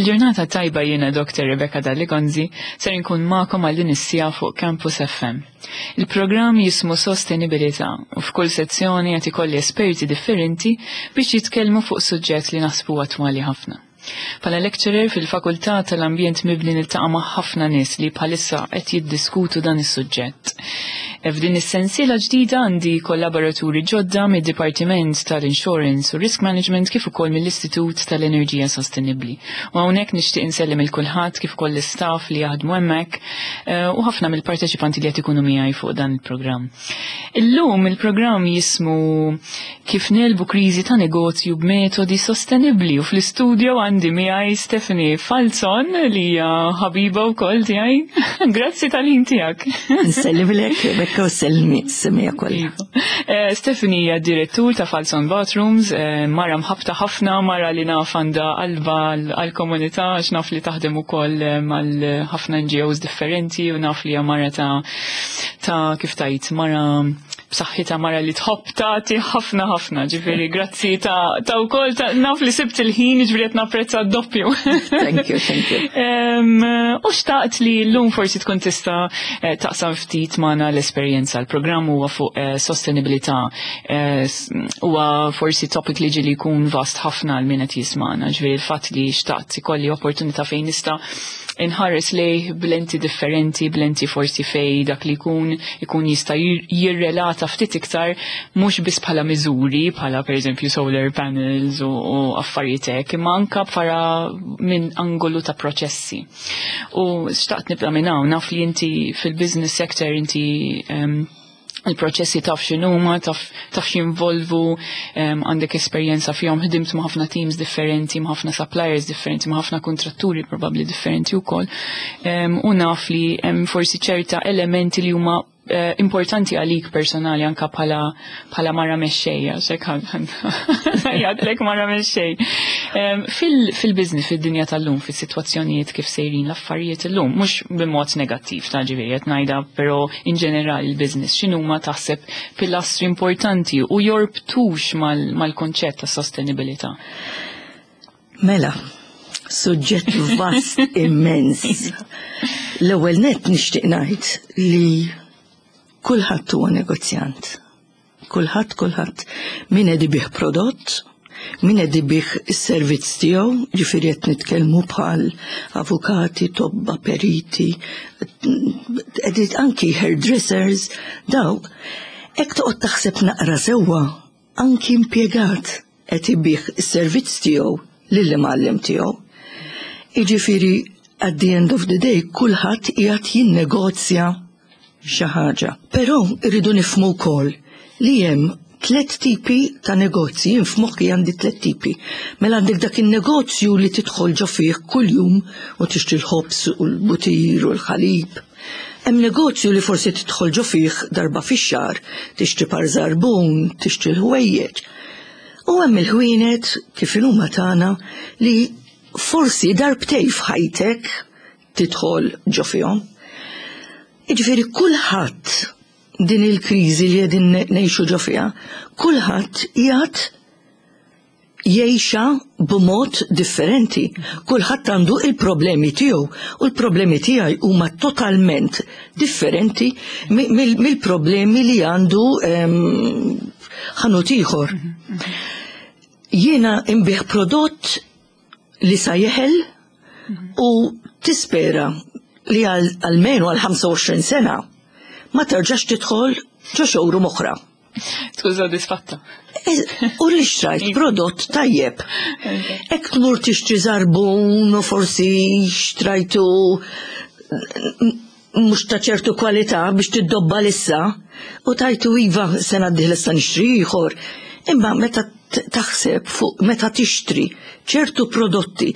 Il-ġurnata tajba jiena Dr. Rebecca Dalli-Gonzi ser inkun magħkom għal din is-siegħa fuq Campus FM. Il-programm jismu Sostenibilità u f'kull sezzjoni qed ikolli esperti differenti biex jitkellmu fuq suġġett li naħsbu attwali ħafna. Bħala lecturer fil-Fakultà tal-Ambjent Mibni niltaqa' ma' ħafna nies li bħalissa qed jiddiskutu dan is-suġġett. F'din is-sensiela ġdida għandi kollaboraturi ġodda mid-Dipartiment tal-Insurance u Risk Management kif ukoll mill-Istitut tal-Enerġija Sostenibbli. U hawnhekk nixtieq insellem il kulħadd kif ukoll l-istaff li jaħdmu hemmhekk eh, u ħafna mill-parteċipanti li qed ikunu miegħi fuq dan il-programm. Illum il-programm jismu Kif negħlbu kriżi ta' negozju b'metodi sostenibbli u fl-istudio għandi miegħi Stephanie Falzon li hija ħabiba wkoll tiegħi. Grazzi tal-ħin tiegħek. Nsellimlek Rebecca u sellmi semija kollha. Iva. Eh, Stephanie hija direttur ta' Falzon Bathrooms, eh, mara mħabta ħafna, mara li naf għandha qalba għall-komunità għax naf li taħdem ukoll eh, mal ħafna NGOs differenti u naf li hija mara ta' ta' kif tajt mara b'saħħitha mara li tħobb tagħti ħafna ħafna, ġifieri grazzi ta' ta' wkoll ta' naf li sibt il-ħin ġifieri qed napprezza d-doppju. Thank you, thank you. U xtaqt li llum forsi tkun tista' eh, taqsam ftit magħna l-esperjenza. Il-programm huwa fuq eh, sostenibilità eh, huwa forsi topic li ġieli jkun vast ħafna għal min qed jismagħna, ġifieri l-fatt li xtaqt ikolli opportunità fejn nista' inħares lejh b'lenti differenti, b'lenti forsi fej dak li jkun ikun jista' jirrelata ftit iktar mhux biss bħala miżuri, bħala pereżempju solar panels u, u affarijiet hekk, imma anka bħala minn angolu ta' proċessi. U xtaqt nibda minn hawn, naf li inti fil-business sector inti um, il-proċessi taf x'inhuma, taf taf x'involvu, għandek esperjenza fihom, ħdimt ma' ħafna teams differenti, ma' ħafna suppliers differenti, ma' ħafna kontratturi probabbli differenti wkoll. U naf li hemm forsi ċerta elementi li huma eh, importanti għalik personali anka bħala bħala mara mexxejja, xek jgħadlek mara mexxej. Fil-business, fid-dinja tal-lum, fis-sitwazzjonijiet kif sejrin l-affarijiet illum, mhux b'mod negattiv ta' ġifieri qed ngħidha, però in ġenerali il-business x'inhuma taħseb pilastri importanti u jorbtux mal-konċett ta' sostenibilità? Mela, suġġett vast immens. L-ewwel nett nixtieq ngħid li kulħadd huwa negozjant. Kulħadd, kulħadd. Min qed ibigħ prodott, min qed ibigħ is-servizz tiegħu, ġifieri qed nitkellmu bħal avukati, tobba, periti, qed anki hairdressers, daw. Hekk toqgħod taħseb naqra sewwa, anki impjegat qed ibigħ is-servizz tiegħu lill-imgħallem tiegħu. Jiġifieri at the end of the day kulħadd qiegħed jinnegozja xi ħaġa. Però rridu nifhmu wkoll li hemm tliet tipi ta' negozji, jien f'moħħi għandi tliet tipi. Mela għandek dak in-negozju li tidħol ġo fih kuljum u tixtri l-ħobż u l-butir u l-ħalib. Hemm negozju li forsi tidħol ġo fih darba fix-xahar, tixtri par żarbun, tixtri l-ħwejjeġ. U hemm il-ħwienet kif inhuma tagħna li forsi darbtej f'ħajtek tidħol ġo fihom. Jiġifieri kulħadd din il-kriżi li qegħdin ngħixu ġo fiha, kulħadd qiegħed jgħixha b'mod differenti. Kulħadd għandu il-problemi tiegħu u l-problemi tiegħi huma totalment differenti mill-problemi li għandu ehm, ħanut ieħor. Jiena imbih prodott li sa jeħel u tispera li għalmenu għal 25 sena ma terġax tidħol ġo showroom oħra. Tkun sodisfatta. U li xtrajt prodott tajjeb. Ek tmur tixtri zarbun u forsi xtrajtu mhux ta' ċertu kwalità biex tiddobba lissa u tajtu iva sena d-dieħla issa nixtri ieħor. Imma meta taħseb fuq meta tixtri ċertu prodotti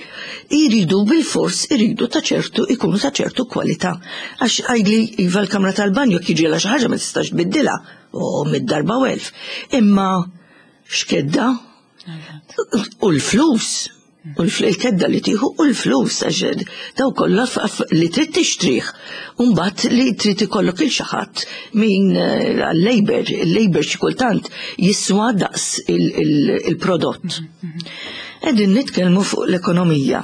jridu bil-fors iridu ta' ċertu ikunu ta' ċertu kwalità. Għax għidli iva l-kamra tal-banju jekk jiġrilha xi ħaġa ma tistax tbiddilha u mid-darba u elf. Imma x'kedda? U l-flus. U l-kedda li tieħu u l-flus għax daw kollha li trid tixtrih. U mbagħad li trid ikollok il xi ħadd min eh, għal-labor, il-labor xi kultant jiswa daqs il-prodott. Qegħdin nitkellmu fuq l-ekonomija.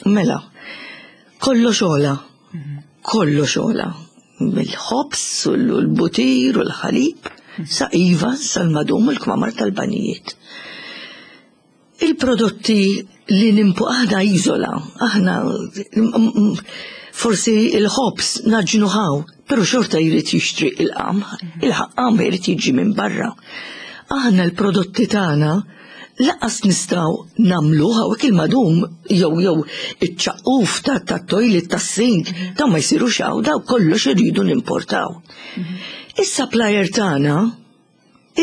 Mela, kollox għola, kollox għola. Mill-ħobż u l-butir u l-ħalib, sa iva, sal-madum u l-kmamar tal-banijiet. Il-prodotti li nimpu aħna iżola, aħna forsi il-ħobż nagħġnu hawn, pero xorta jrid jixtri il-qamħ, il-qamħ jrid jiġi minn barra. Aħna l-prodotti tagħna lanqas nistgħu nagħmlu hawnhekk, il-madum jew iċ-ċaqquf ta' toilet, ta' sink, daw ma jsirux hawn, daw kollox iridu nimportaw. Is-supplier tagħna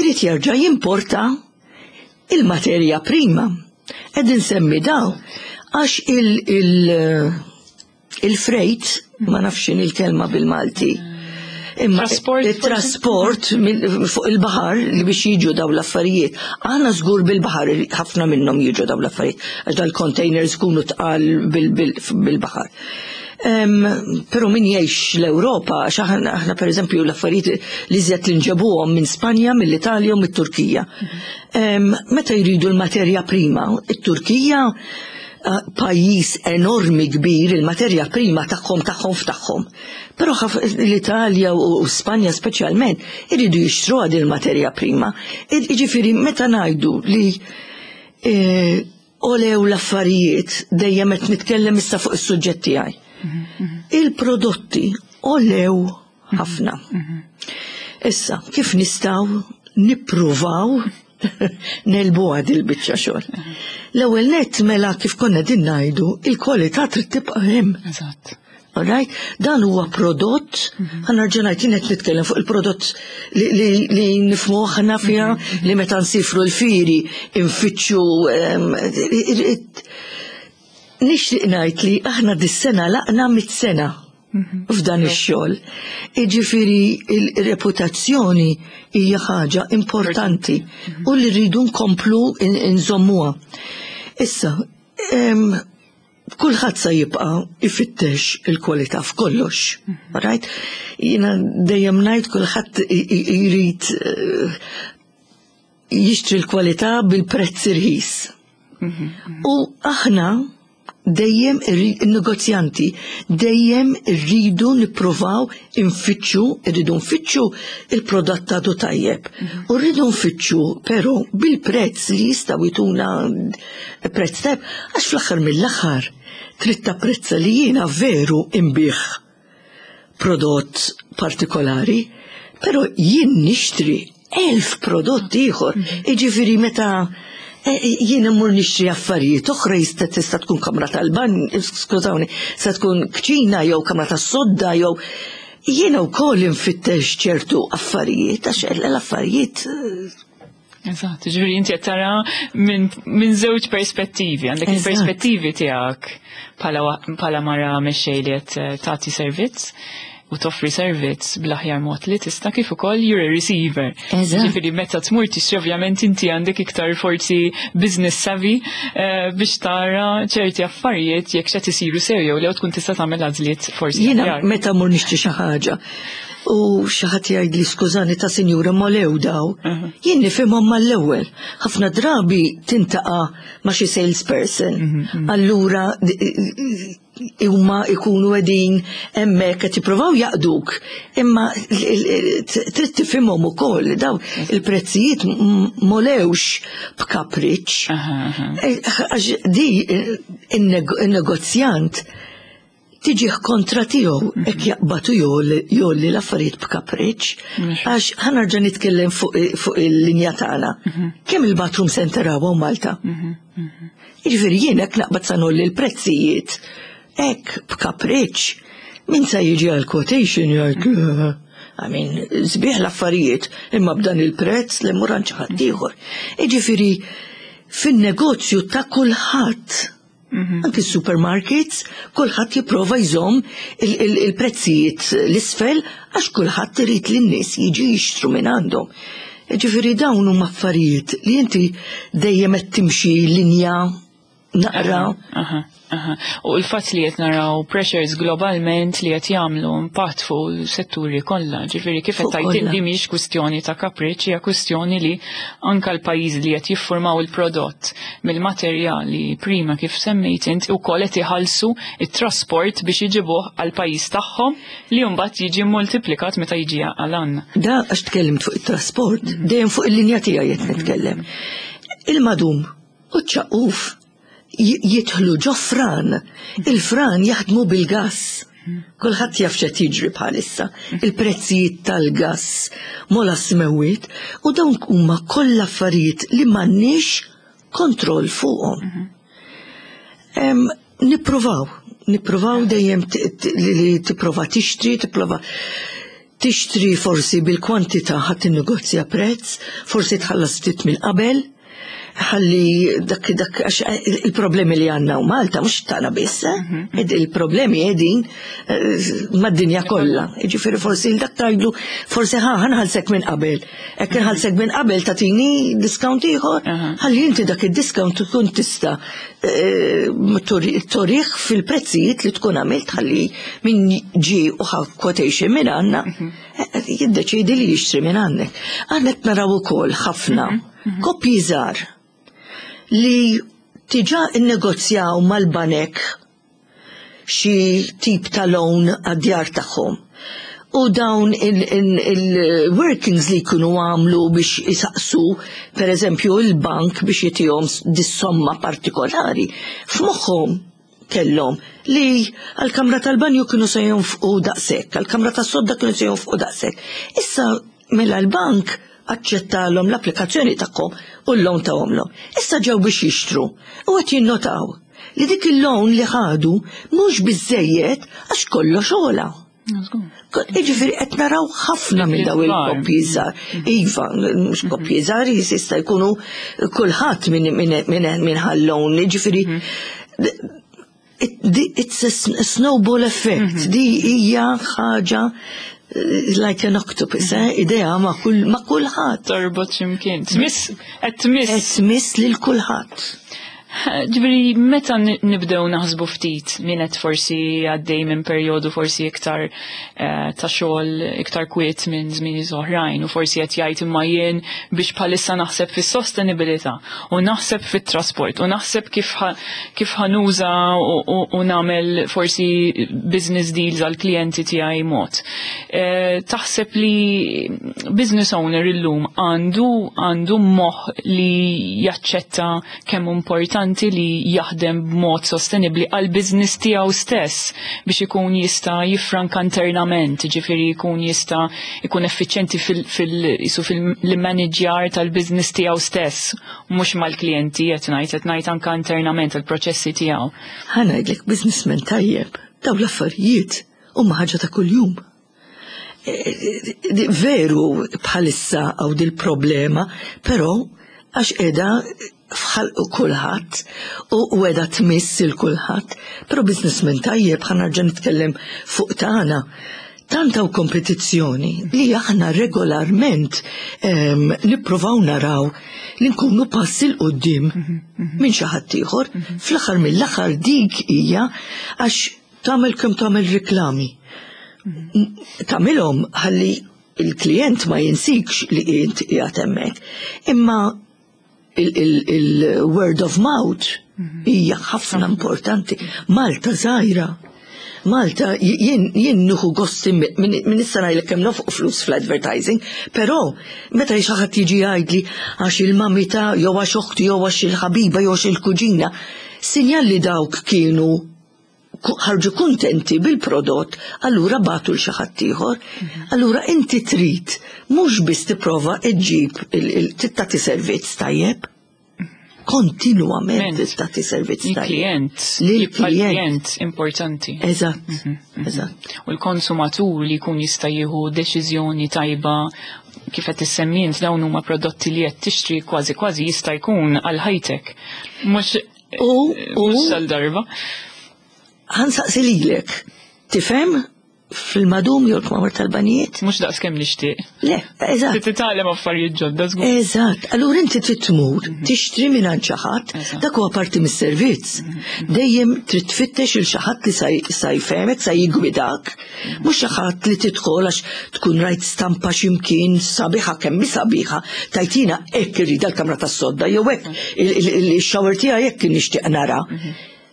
irid jerġa' jimporta il-materja prima. Qed insemmi daw għax il-freight, ma nafx il-kelma bil-Malti. Imma Trasport, il-trasport fuq il-baħar li biex jiġu daw l-affarijiet. Aħna żgur bil-baħar ħafna minnhom jiġu daw l-affarijiet għax dal-containers kunu tqal bil-baħar. Pero min jgħix l-Ewropa, għax aħna per eżempju l-affarijiet li żjed li nġebuhom minn Spanja, mill-Italja u mit-Turkija. Meta jridu l-materja prima, it-Turkija pajjiż enormi kbir, il-materja prima tagħhom tagħhom f'tagħhom. Però l-Italja u Spanja speċjalment iridu jixtru għad il-materja prima. Jiġifieri meta ngħidu li għolew l-affarijiet, dejjem qed nitkellem issa fuq is-suġġett tiegħi. Il-prodotti għolew ħafna. Issa, kif nistgħu nippruvaw negħlbu għad il-biċċa xogħol? L-ewwel nett, mela, kif konna din ngħidu, il-kwalità trid tibqa' hemm. Alright? Dan huwa prodott, ħa nerġa' ngħid, jien qed nitkellem fuq il-prodott li nifhmu aħna fiha, li meta nsifru l-fieri infittxu. Nixtieq ngħid li aħna dis-sena għalaqna 100 sena f'dan ix-xogħol. Jiġifieri il-reputazzjoni hija ħaġa importanti u li rridu nkomplu nżommuha. Issa, kulħadd sa jibqa' ifittex il-kwalità f'kollox. Right? Jiena dejjem ngħid kulħadd jrid jixtri l-kwalità bil-prezz irħis. U aħna dejjem il-negozjanti dejjem irridu nippruvaw infittxu, irridu nfittxu il-prodott għadu tajjeb. U rridu nfittxu però bil-prezz li jistgħu jtuna prezz tajjeb, għax fl-aħħar mill-aħħar trid tapprezza li jiena veru imbigħ prodott partikolari, pero jien nixtri 1000 prodott ieħor. Jiġifieri meta jien immur nixtri affarijiet oħra, jista' tista' tkun kamra tal-ban, skużawni, se tkun kċina jew kamra tas-sodda jew jiena wkoll infittex ċertu affarijiet għax l-affarijiet Eżatt, ġifieri inti qed tara minn żewġ perspettivi, għandek il-perspettivi tiegħek bħala mara mexxej li qed tagħti servizz u toffri servizz bl-aħjar mod li tista', kif ukoll you're a receiver. Ġifieri meta tmur tixtri, ovvjament inti għandek iktar forsi business savvy biex tara ċerti affarijiet jekk x'qed isiru sew jew li tkun tista' tagħmel għażliet forsi Jiena aħjar. meta mur nixtri xi ħaġa u xi ħadd jgħidli, "Skużani ta' sinjura, m'għolew daw", jien nifhimhom mal-ewwel. Ħafna drabi tiltaqa' ma' xi salesperson. Allura huma ikunu qegħdin hemmhekk qed jippruvaw jaqduk, imma trid tifhimhom ukoll daw il-prezzijiet m'għolewx b'kapriċ. Aha, aha. Għax di il-negozjant tiġih kontra tiegħu hekk jaqbatu jgħolli l-affarijiet b'kapriċ. Għax ħa nerġa' nitkellem fuq il-linja tagħna. Kemm il-bathroom center hawn Malta? Jiġifieri jien hekk naqbad sa ngħolli l-prezzijiet hekk b'kapriċ. Min sa jiġi għal quotation jgħid, "I mean, sbieħ l-affarijiet, imma b'dan il-prezz li mmur għand xi ħadd ieħor." Jiġifieri fin-negozju ta' kulħadd, anki supermarkets, kulħadd jipprova jżomm il-prezzijiet l-isfel għax kulħadd irid li n-nies jiġu jixtru minn għandhom. Ġifieri dawn huma affarijiet li inti dejjem qed timxi linja. Naqra. U l-fatt li qed naraw pressures globalment li qed jagħmlu impatt fuq setturi kollha, ġifieri kif qed tgħid inti mhix kwistjoni ta' kapriċċ, hija kwistjoni li anka l-pajjiżi li qed jiffurmaw il-prodott mill-materjali prima kif semmejt int ukoll qed iħallsu it-trasport biex iġibuh għall-pajjiż tagħhom li mbagħad jiġi multiplikat meta jiġi għal għandna. Da għax tkellimt fuq it-trasport, dejjem fuq il-linja tiegħi qed nitkellem. Il-madum u ċ-ċaqquf jidħlu ġo fran, il-fran jaħdmu bil-gass. Kulħadd jaf x'qed jiġri bħalissa. Il-prezzijiet tal-gass mola smewwiet u dawn huma kollha affarijiet li m'għandniex kontroll fuqhom. Nippruvaw, nippruvaw dejjem li tipprova tixtri, tipprova tixtri forsi bil-kwantità ħadd tinnegozja prezz, forsi tħallas ftit minn qabel, ħalli dak dak għax il-problemi li għandna u Malta mhux tagħna biss, eh? Il-problemi qegħdin mad-dinja kollha. Jiġifieri forsi dak tgħidlu forsi ħa ħanħallsek minn qabel. Hekk inħallsek minn qabel tagħtini discount ieħor, ħalli inti dak id-discount tkun tista' turih fil-prezzijiet li tkun għamilt ħalli min ġie u ħa quotation minn għandna jiddeċiedi li jixtri minn għandek. Aħna qed naraw ukoll ħafna koppji żgħar li diġà innegozjaw mal-banek xi tip ta' loan għad-djar tagħhom. U dawn il-workings li jkunu għamlu biex isaqsu, per eżempju, il-bank biex jitihom dis-somma partikolari, f'moħħhom kellhom li għal-kamra tal-banju kienu se jonfqu daqshekk, għal-kamra tas-sodda kienu se jonfqu daqshekk. Issa mela l-bank aċċettalhom l-applikazzjoni tagħhom u l-loan tahomlhom. Issa ġew biex jixtru u qed jinnotaw li dik il-loan li ħadu mhux biżejjed għax kollox ogħla. Jiġifieri qed naraw ħafna minn daw il-koppji żgħar. Iva, mhux koppji żgħar jista' jkunu kulħadd minn ħa l-loan, jiġifieri it's a snowball effect. Di hija ħaġa like an octopus, eh? Idea ma' kull ma' kulħadd. Torbot x'imkien. Tmiss, qed tmiss. Qed tmiss lil kulħadd. Ġifieri, meta nibdew naħsbu ftit min qed forsi għaddej minn perjodu forsi iktar ta' xogħol iktar kwiet minn żmien oħrajn u forsi qed jgħid imma jien biex bħalissa naħseb fis-sostenibilità u naħseb fit-trasport u naħseb kif ħa nuża u nagħmel forsi business deals għal klijenti tiegħi mod. Taħseb li business owner illum għandu moħħ li jaċċetta kemm importanti li jaħdem b'mod sostenibli għal business tiegħu stess biex ikun jista' jiffranka internament, ġifieri jkun jista' jkun effiċjenti fil-manager tal-business tiegħu stess, mhux mal-klijenti qed ngħid anke internament il-proċessi tiegħu. Ħa ngħidlek businessman tajjeb, daw l-affarijiet huma ħaġa ta' kuljum. Veru bħalissa hawn dil-problema, però għax qiegħda f'ħalq kulħadd u qiegħda tmiss il kulħadd, però businessman tajjeb ħa nerġa' nitkellem fuq tagħna. Tant hawn kompetizzjoni li aħna regolarment nippruvaw naraw li nkunu pass 'il quddiem minn xi ħadd ieħor. Fl-aħħar mill-aħħar dik hija għax tagħmel kemm tagħmel riklami. Tagħmilhom ħalli il-klient ma jinsikx li int qiegħed hemmhekk. Imma il-word of mouth hija ħafna importanti. Malta żgħira. Malta jien nieħu gost minn issa ngħidlek kemm nofqu flus fl-advertising, però meta xi ħadd jiġi jgħidli għax il-mamita jew għax oħti jew għax il-ħabiba jew għax il-kuġina, sinjal li dawk kienu ħarġu kuntenti bil-prodott, allura bagħtu 'l xi ħadd ieħor. Allura inti trid mhux biss tipprova iġġib tagħti servizz tajjeb. Kontinwament tagħti servizz tajjeb. Il-klient, Lil jibqa' klient. klient importanti. Eżatt, eżatt. U l-konsumatur li jkun jista' jieħu deċiżjoni tajba kif qed issemmi int dawn huma prodotti li qed tixtri kważi kważi jista' jkun għal ħajtek. Mhux U mhux għal darba. Ħa nsaqsi lilek, tifhem? fil-madum jew l-kmamar tal-banijiet. Mhux daqs kemm nixtieq. Le, eżatt. Trid titgħallem affarijiet ġodda żgur. Eżatt. Allura inti trid tmur tixtri mingħand xi ħadd, dak huwa parti mis-servizz. Dejjem trid tfittex il xi ħadd li sa jfehmek, sa jiggwidak. Mhux xi ħadd li tidħol għax tkun rajt stampa x'imkien sabiħa kemm hi sabiħa, tajtina hekk irrid l-kamra tas-sodda jew hekk il-shower tiegħi hekk nixtieq nara.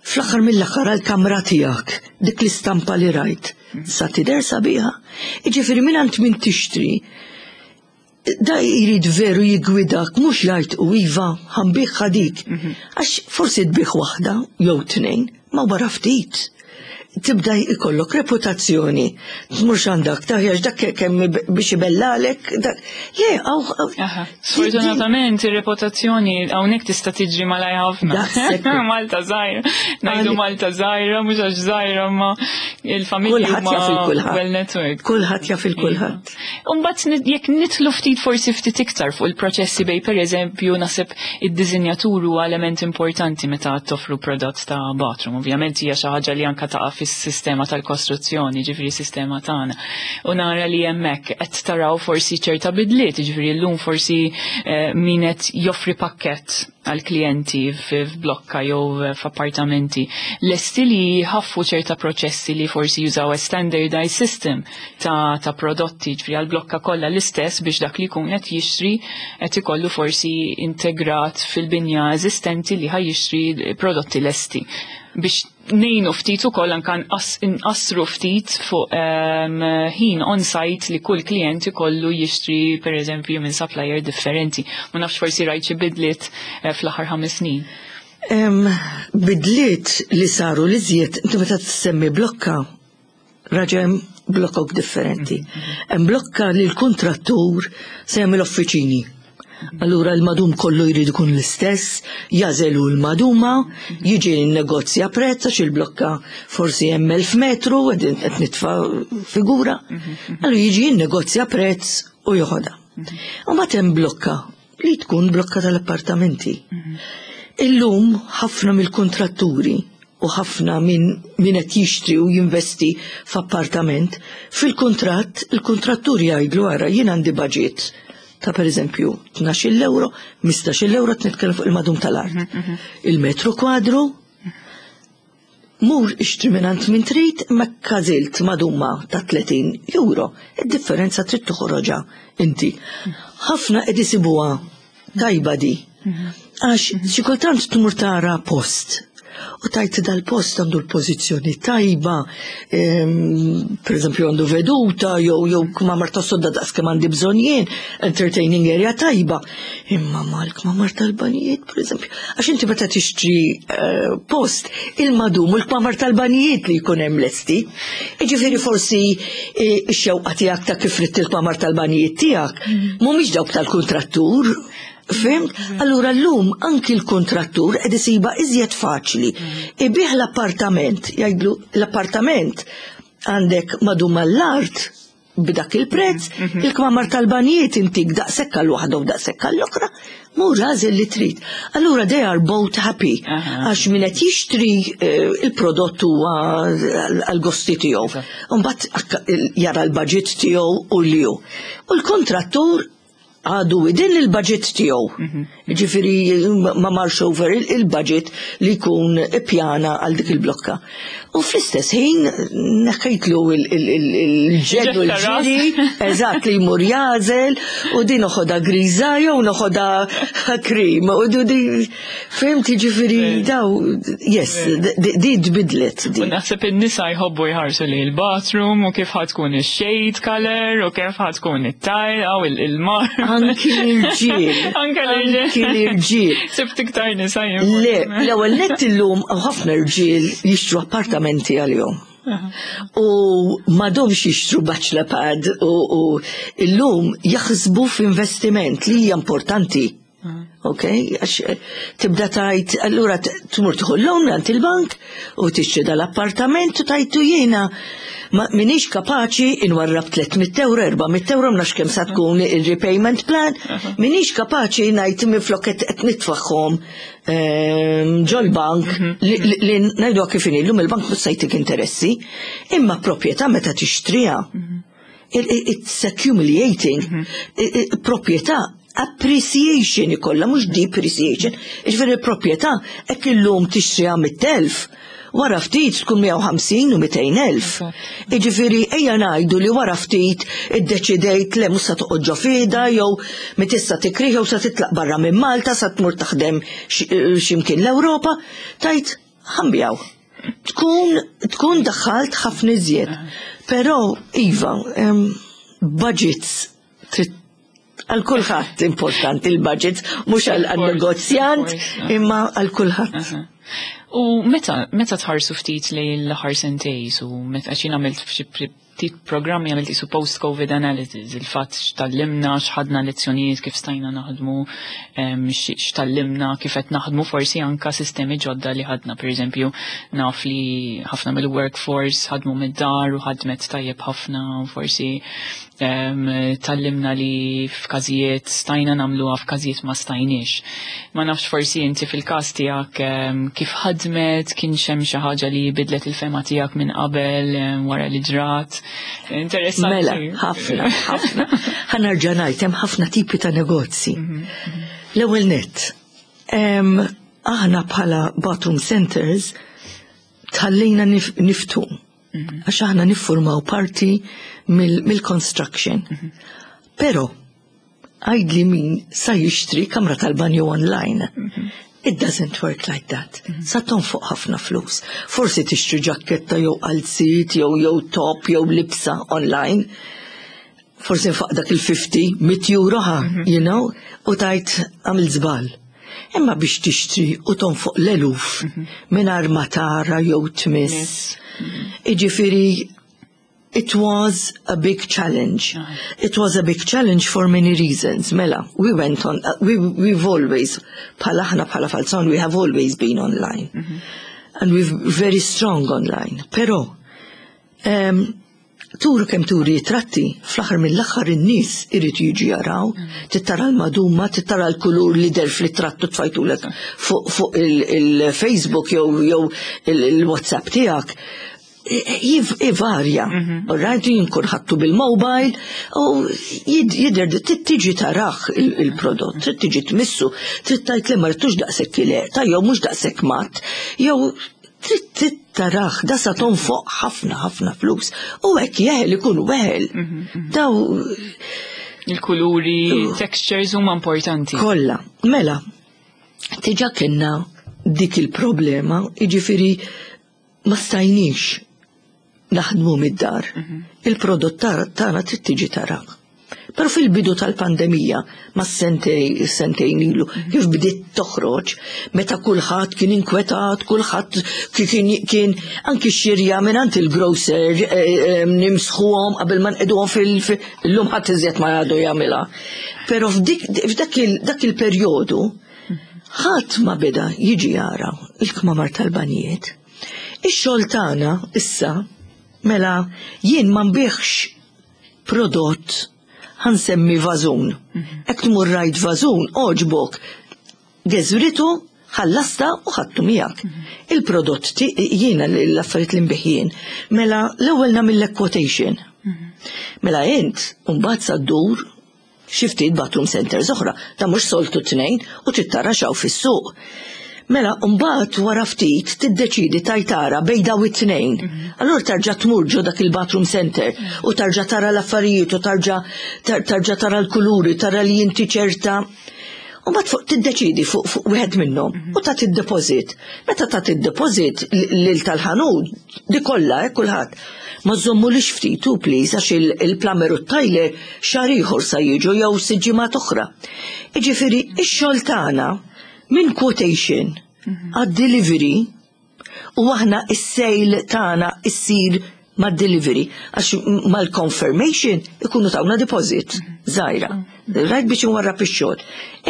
Fl-aħħar mill-aħħar għall-kamra tiegħek, dik l-istampa li rajt, sa tidher sabiħa. Jiġifieri mingħand min tixtri, da jrid veru jiggwidak mhux jgħid u iva ħa nbigħha dik. Għax forsi tbigħ waħda jew tnejn, ma wara ftit. Tibda jkollok reputazzjoni. Tmurx għandak taħjax dak kemm biex ibellalek. Le, għaw. Sfortunatament ir-reputazzjoni hawnhekk tista' tiġri malaj ħafna. Malta żgħira. Ngħidu Malta żgħira mhux għax żgħira ma il-familja huma well network. Kulħadd jaf il-kulħadd. Imbagħad jekk nidħlu ftit forsi ftit iktar fuq il-proċessi bej pereżempju naħseb id-disinjatur huwa element importanti meta toffru prodott ta' bathroom. Ovvjament hija xi ħaġa li anka taqa' fis-sistema tal-kostruzzjoni, ġifieri sistema tagħna. U nara li hemmhekk qed taraw forsi ċerta bidliet, ġifieri llum forsi min qed joffri pakkett għal klijenti f'blokka jew f'appartamenti lesti li jħaffu ċerta proċessi li forsi jużaw a standardized system ta', ta prodotti ġifieri għal blokka kollha l-istess biex dak li jkun qed jixtri qed ikollu forsi integrat fil-binja eżistenti li ħa jixtri prodotti lesti biex ngħinu ftit ukoll anka nqassru ftit fuq ħin on-site li kull klient ikollu jixtri pereżempju minn supplier differenti. Ma nafx forsi rajt xi bidliet fl-aħħar 5 snin. Bidliet li saru li żjed, inti meta tissemmi blokka, raġa hemm blokok differenti. Hemm blokka li l-kuntrattur se jagħmel uffiċini. Allura l-madum kollu jrid ikun l-istess, jażelu l-maduma, jiġi negozja prezz għax il-blokka forsi hemm 1000 metru, qed nitfa' figura. Allura jiġi negozja prezz u joħodha. U mbagħad hemm blokka li tkun blokka tal-appartamenti. Illum ħafna mill-kontratturi u ħafna minn min qed jixtri u jinvesti f'appartament, fil-kuntratt il-kuntrattur jgħidlu ara jien għandi budget ta' per eżempju 12 euro, 15 euro nitkellem fuq il-madum tal-art. Il-metru kwadru mur ixtri minn min trid ma każilt maduma ta' 30 euro. Id-differenza trid toħroġha inti. Ħafna qed isibuha tajba di. Għax xi kultant tmur tara post u tajt dal-post għandu l-pożizzjoni tajba, per eżempju għandu veduta, jew jew kmamar ta' sodda daqs kemm għandi bżonn jien, entertaining area tajba. Imma mal-kmamar tal-banijiet, per eżempju, għax inti meta tixtri post, il-madum u l-kmamar tal-banijiet li jkun hemm lesti. Jiġifieri forsi x-xewqa tiegħek ta' kif ridt il-kmamar tal-banijiet tiegħek mhumiex dawk tal-kuntrattur. Fhimt? Allura llum anki l-kuntrattur qed isiba iżjed faċli. Ibih l-appartament, jgħidlu l-appartament għandek madum għall-art b'dak il-prezz, il-kmamar tal-banijiet intik daqshekk għal waħda u daqshekk għall oħra, mur għażel li trid. Allura they are both happy għax min qed jixtri il-prodott huwa għall-gosti tiegħu. Imbagħad jara l-budget tiegħu u li hu. U l-kontrattur għadu within il-budget tiegħu. Ġifieri ma marx over il-budget li jkun ippjana għal dik il-blokka. U fl-istess ħin neħħejtlu il-ġed u l-ġiri, eżatt li jmur jagħżel u din noħodha griża jew noħodha cream. U di fhimt ġifieri daw, yes, di tbidlet. U naħseb in-nisa jħobbu jħarsu li l-bathroom u kif ħa tkun ix-shade color u kif ħa tkun it-tile aw il-mar. Anki l-irġiel. Anke l-irġiel. Anki l-irġiel. Sibt iktar nisa jien. Le, l-ewwel nett illum ħafna irġiel jixtru appartamenti għalihom. U m'għadhomx jixtru bachelor pad u illum jaħsbu f'investiment li hija importanti. Ok, għax tibda tajt, allura tmur tieħu loan għand il-bank u tixtri dal-appartament u tajtu jiena ma minix kapaċi inwarrab 300 euro, 400 euro, mnax kemm sa tkun il-repayment plan, minix kapaċi ngħid minflok qed nitfaħħom ġol-bank li ngħidu kif inhi llum il-bank mhux se jtik interessi, imma proprjetà meta tixtriha it's accumulating proprjetà appreciation ikollha mhux depreciation. Ġifieri il-proprjetà hekk illum tixtriha 100,000, wara ftit tkun 150 u 200,000. Iġifieri ejja ngħidu li wara ftit iddeċidejt le mhux sa toqgħod ġo fida jew mitissa tikrih jew sa titlaq barra minn Malta sa tmur taħdem x'imkien l-Ewropa, tajt ħa nbigħu. Tkun daħħalt ħafna iżjed. Però iva, budgets trid għal kulħadd importanti il-budgets, mhux għal negozjant imma għal kulħadd. U meta tħarsu ftit li l-aħħar sentejn u meta xi għamilt f'xi ftit programmi għamilt isu post-COVID analysis, il-fatt x'tgħallimna, x'ħadna lezzjonijiet kif stajna naħdmu, x'tgħallimna kif qed naħdmu forsi anka sistemi ġodda li ħadna, per eżempju, naf li ħafna mill-workforce ħadmu mid-dar u ħadmet tajjeb ħafna, forsi tgħallimna li f'każijiet stajna nagħmluha f'każijiet ma stajniex. Ma nafx forsi inti fil-każ tiegħek kif ħadmet, kien hemm xi ħaġa li bidlet il-fehma tiegħek minn qabel wara li ġrat. Interessanti. Mela, ħafna, ħafna. Ħa nerġa' ngħid hemm ħafna tipi ta' negozji. L-ewwel net, aħna bħala bathroom centers tħallejna niftħu. Għax aħna niffurmaw parti mill-construction. Però, għajdli min sa jixtri kamra tal-banju online. It doesn't work like that. Sa tonfoq ħafna flus. Forsi tixtri ġakketta jew qalzit jew top jew libsa online. Forsi nfaq dak il-50, 100 euro ħa, u tajt għamil żball. Imma biex tixtri u tonfoq l-eluf mingħajr ma tara jew tmiss. Iġifieri, it was a big challenge. It was a big challenge for many reasons. Mela, we went on, we've always, bħala aħna bħala Falzon, we have always been online. And we're very strong online. Però, turu kemm turi tratti, fl-aħħar mill-aħħar in-nies irid jiġi jaraw, tittara l-maduma, tittara l-kulur li der fl-trattu tfajtulek fuq il-Facebook jew il-WhatsApp tiegħek. Ivarja, right, jien kun ħattu bil-mobile, u jidher trid tiġi tarah il-prodott, trid tiġi tmissu, trid tgħid li ma rridtux daqshekk ta' jew mhux daqshekk mat, jew trid tarah, da sa tonfoq ħafna ħafna flus. U hekk jeħel ikun weħel. Daw Il-kuluri, textures huma importanti. Kollha, mela, diġà kellna dik il-problema, jiġifieri ma stajniex naħdmu mid-dar. Il-prodott tagħna trid tiġi tara. Però fil-bidu tal-pandemija, ma sentejn ilu, kif bdiet toħroġ, meta kulħadd kien inkwetat, kulħadd kien anki xirja minn il-grocer nimsħuhom qabel ma nqegħduhom fil-lum ħadd iżjed ma għadu jagħmilha. Però f'dak il-perjodu ħadd ma beda jiġi jara il-kmamar tal-banjiet. Ix-xogħol tagħna issa mela jien ma nbigħx prodott ħa nsemmi vażun. Jekk tmur rajt vażun, għoġbok, geżwritu, ħallasta u ħadtu miegħek. Il-prodott jiena l-affarijiet li nbigħ jien, mela l-ewwel nagħmillek quotation. Mela int mbagħad sa ddur xi ftit bathroom centers oħra, ta' mhux soltu tnejn u trid tara x'hawn fis-suq. Mela, mbagħad wara ftit tiddeċidi tajtara bejn daw it-tnejn. Allura tarġa' tmur ġo dak il-bathroom center u tarġa' tara l-affarijiet u tarġa' tara l-kuluri, tara li inti ċerta. U mbagħad fuq tiddeċidi fuq wieħed minnhom u tagħti d-deposit. Meta tagħti d-deposit lil tal-ħanut, di kollha kulħadd. Ma żommulix ftit u please għax il-plumber u t-tiler xahar ieħor sa jiġu jew sitt ġimgħat oħra. Jiġifieri ix-xogħol tagħna minn quotation għad-delivery u aħna is-sale tagħna issir mad-delivery, għax mal-confirmation ikunu tawna deposit żgħira. Rajt biex nwarrab ix-xogħol.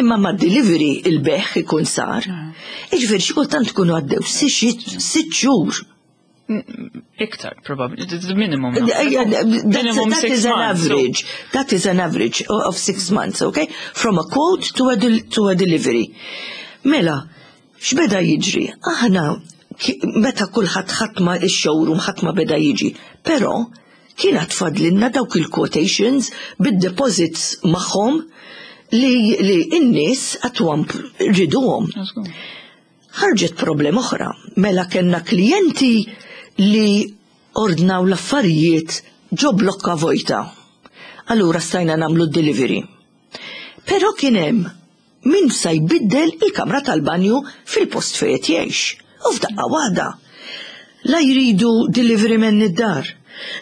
Imma mad-delivery il-bejgħ ikun sar. Iġifieri xi kultant ikunu għaddew 6 xhur. Iktar, probably, the minimum. Minimum that is an average. That is an average of 6 months, okay? From a quote to a delivery. Mela, x'beda jiġri? Aħna meta kulħadd ħadd ma ix-showroom ħadd ma beda jiġi, però kien fadlilna dawk il-quotations bid-deposits magħhom li n-nies għatwam riduhom. Ħarġet problema oħra, mela kellna klijenti li ordnaw l-affarijiet ġo blokka vojta. Allura stajna nagħmlu delivery. Però kien hemm min sa jbiddel il-kamra tal-banju fil-post fejn jgħix. U f'daqqa waħda. La jridu delivery man id-dar,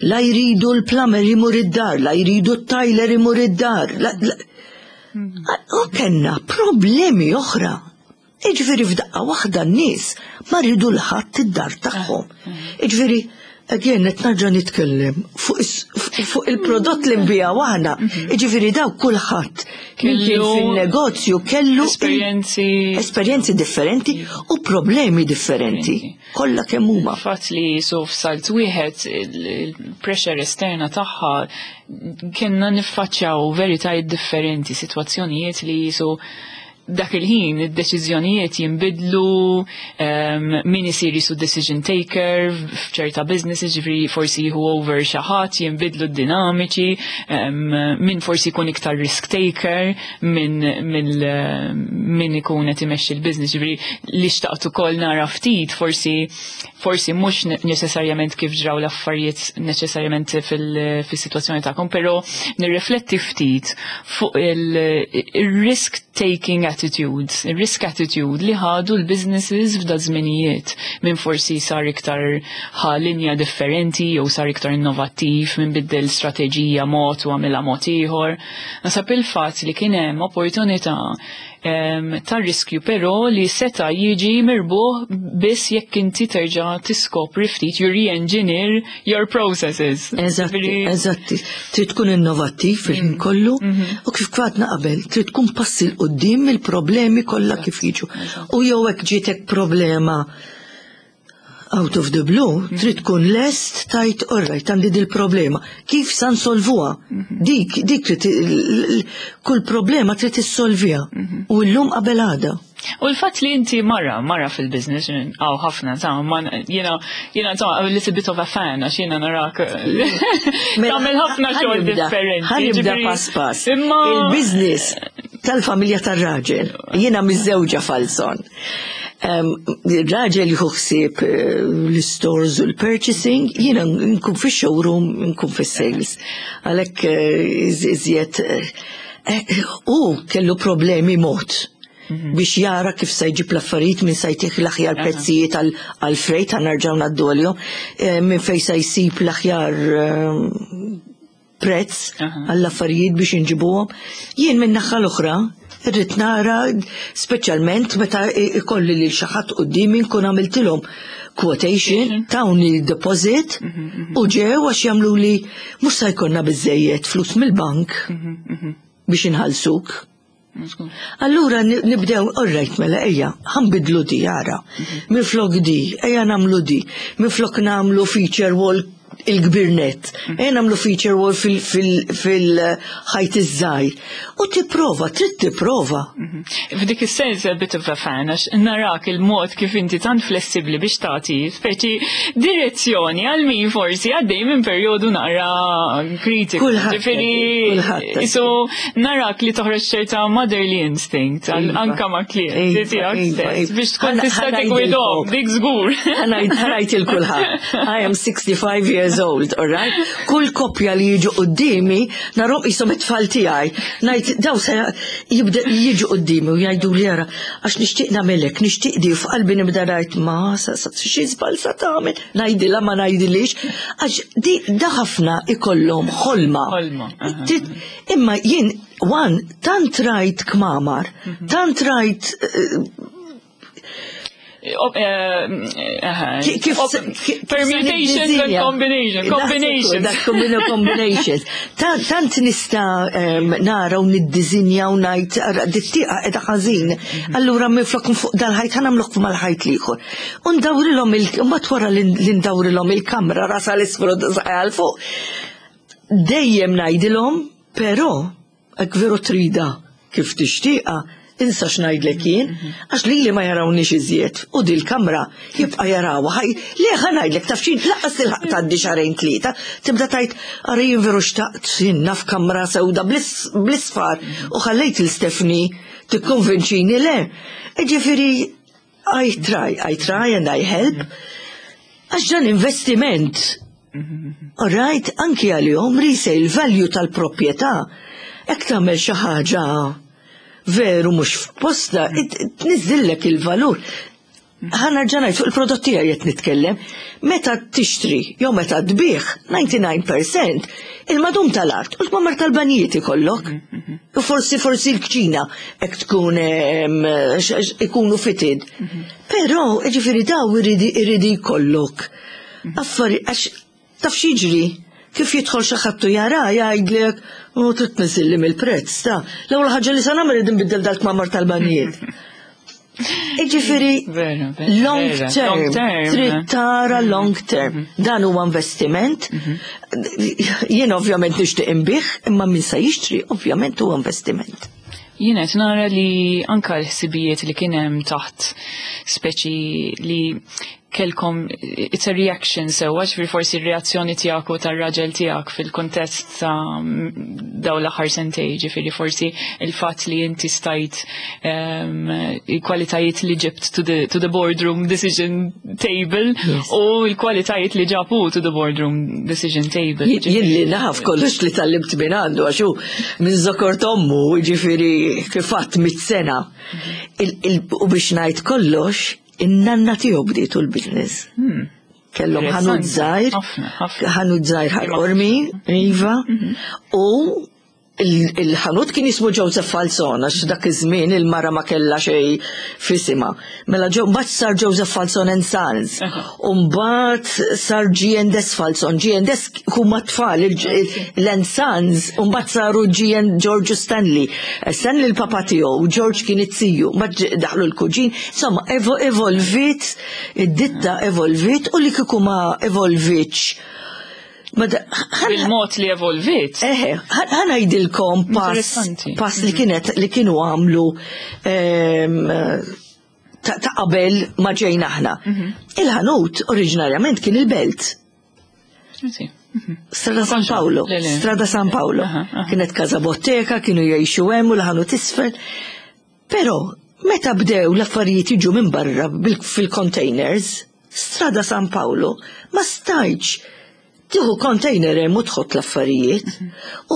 la jridu l-plumber imur id-dar, la jridu t-tiler imur id-dar. U kellna problemi oħra. Iġifieri f'daqqa waħda n-nies ma rridu 'l ħadd id-dar tagħhom. Iġifieri, again, qed nerġa' nitkellem fuq il-prodott li nbigħu aħna. Iġifieri daw kulħadd kien fin-negozju kellu esperjenzi esperjenzi differenti u problemi differenti. Kollha kemm huma. Fatt li so f'salt wieħed il-pressure esterna tagħha kienna niffaċċjaw veritajiet differenti, sitwazzjonijiet li jisu dak il-ħin id-deċiżjonijiet jinbidlu, min isir jisu decision taker f'ċerta businesses, ġifieri forsi jieħu over xi ħadd, jinbidlu d-dinamiċi, min forsi jkun iktar risk taker minn ikun qed imexxi l-business, ġifieri li xtaqt ukoll nara ftit forsi mhux neċessarjament kif ġraw l-affarijiet neċessarjament fil-sitwazzjoni tagħkom, però nirrifletti ftit fuq il-risk taking attitude, il-risk attitude li ħadu l-businesses f'da żminijiet minn forsi sar iktar ħa linja differenti jew sar iktar innovattiv minn biddel strateġija mod u għamilha mod ieħor. Naħseb il-fatt li kien hemm opportunità ta' riskju però li seta jiġi mirbuħ biss jekk inti terġa' tiskopri ftit you re-engineer your processes. Eżatti. Trid tkun innovattiv fil-ħin kollu u kif għedna qabel, trid tkun passi 'l quddiem il-problemi kollha kif jiġu. U jew hekk ġietek problema out of the blue, trid tkun lest tgħid, alright, għandi dil-problema. Kif sa nsolvuha? Dik trid kull problema trid issolviha. U llum qabel għada. U l-fatt li inti mara fil-business, għaw ħafna, ta' ma jiena ta' a little bit of a fan, għax jiena narak tagħmel ħafna xogħol differenti. Ħa nibda pass pass. Imma il-business tal-familja tar-raġel, jiena miżżewġa Falzon. Il-raġel jieħu ħsieb l-stores u l-purchasing, jiena nkun fix-showroom, nkun fis-sales. Għalhekk iżjed u kellu problemi mod biex jara kif se jġib l-affarijiet, minn se jtih l-aħjar prezzijiet għal-freight, ħa nerġgħu ngħaddu għalihom, minn fejn se jsib l-aħjar prezz għall-affarijiet biex inġibuhom. Jien minn naħa l-oħra, irrid nara speċjalment meta ikolli lil xi ħadd quddiemi nkun għamiltilhom quotation, tawni deposit u ġew għax jagħmlu li mhux se jkollna biżejjed flus mill-bank biex inħallsuk. Allura nibdew, alright, mela ejja, ħa nbiddlu di ara. Minflok di, ejja nagħmlu di. Minflok nagħmlu feature wall il-kbir net. Ejja nagħmlu feature wall fil-ħajt iż-żgħir. U tipprova, trid tipprova. F'dik is-sens a bit of a fan, għax narak il-mod kif inti tant flessibli biex tagħti speċi direzzjoni għal min forsi għaddej minn perjodu naqra kritiku. Kulħadd Ġifieri, so narak li toħroġ ċerta motherly instinct anka ma' klienti tiegħek stess biex tkun tista' tigwidhom, dik żgur. Ħa ngħid lil kulħadd. I am 65 years old, all right? Kull koppja li jiġu quddiemi, narahom qishom it-tfal tiegħi. Ngħid daw se jibda jiġu quddiemi u jgħidu li jara għax nixtieq nagħmelek, nixtieq di f'qalbi nibda ngħid ma sa xi żball sa tagħmel, ngħidilha ma ngħidilix, għax di da ħafna ikollhom ħolma. Ħolma, aha. Imma jien one tant rajt kmamar, tant rajt. Kif permutations and combination, combinations. Dak combinations. Tant nista nara u niddizinja u ngħid dit-tieqa qiegħda ħażin. Allura minflok fuq dal-ħajt ħa nagħmluk mal-ħajt l-ieħor. U ndawrilhom il wara li ndawrilhom il-kamra rasha 'l isfel u għal fuq. Dejjem ngħidilhom, però hekk veru trida kif tixtieqa, insa x'ngħidlek jien, għax li li ma jarawniex iżjed u dil-kamra jibqa' jarawha. Ħaj, le ħa ngħidlek taf x'in lanqas tilħaq tgħaddi xahrejn tlieta, tibda tgħid ara jien veru xtaqt jien naf kamra sewda bl-isfar u ħallejt lil Stephanie tikkonvinċini le. Ġifieri I try, I try and I help. Għax dan investiment. All right, anki għalihom resale value tal-proprjetà. Jekk tagħmel xi ħaġa veru mhux f'posta, tniżżillek il-valur. Ħa nerġa' ngħid fuq il-prodotti qed nitkellem, meta tixtri jew meta tbigħ 99% il-madum tal-art u l-kmamar tal-banjiet ikollok. U forsi l-kċina hekk tkun ikunu fitted. Però ġifieri daw irridi jkollok. Affari għax taf x'jiġri kif jidħol xi ħadd u jara jgħidlek u trid tniżilli mill-prezz ta' l-ewwel ħaġa li se nagħmel irid nbiddel dal-kmamar tal-banjiet. Iġifieri long term, trid tara long term. Dan huwa investiment. Jien ovvjament nixtieq inbigħ, imma min se jixtri ovvjament huwa investiment. Jien qed nara li anka l-ħsibijiet li kien hemm taħt speċi li kellkom it's a reaction sewwa, ġifieri forsi r-reazzjoni tiegħek u tar-raġel tiegħek fil-kuntest ta' daw l-aħħar sentej, ġifieri forsi il-fatt li inti stajt il-kwalitajiet li ġibt to the boardroom decision table u l-kwalitajiet li ġabu to the boardroom decision table. Jien li naf kollox li tgħallimt minn għandu għax hu minn żokor t'ommu, ġifieri kif għedt 100 sena. U biex ngħid kollox, in-nanna tiegħu bdietu l-business. Kellhom ħanut żgħir, ħanut żgħir Ħal Qormi, iva, u il-ħanut kien jismu Joseph Falzon, għax dak iż-żmien il-mara ma kellha xejn f'isimha. Mela ġew mbagħad sar Joseph Falzon and Sons. U mbagħad sar G&S Falzon. G&S huma tfal l-and Sons, u mbagħad saru G and George Stanley. Stanley l-papa tiegħu, George kien it-ziju, mbagħad daħlu l-kuġin. Insomma, evolvit, id-ditta evolvit u li kieku ma evolvitx. Il-mod li evolvit. Eħe, ħa ngħidilkom pass, pass li kienet li kienu għamlu ta' qabel ma ġejna aħna. Il-ħanut oriġinarjament kien il-Belt. Strada San Paolo, Strada San Paolo. Kienet Casa Bottega, kienu jgħixu hemm u l-ħanut isfel. Però meta bdew l-affarijiet jiġu minn barra fil-containers, Strada San Paolo ma stajtx tieħu container hemm u tħott l-affarijiet.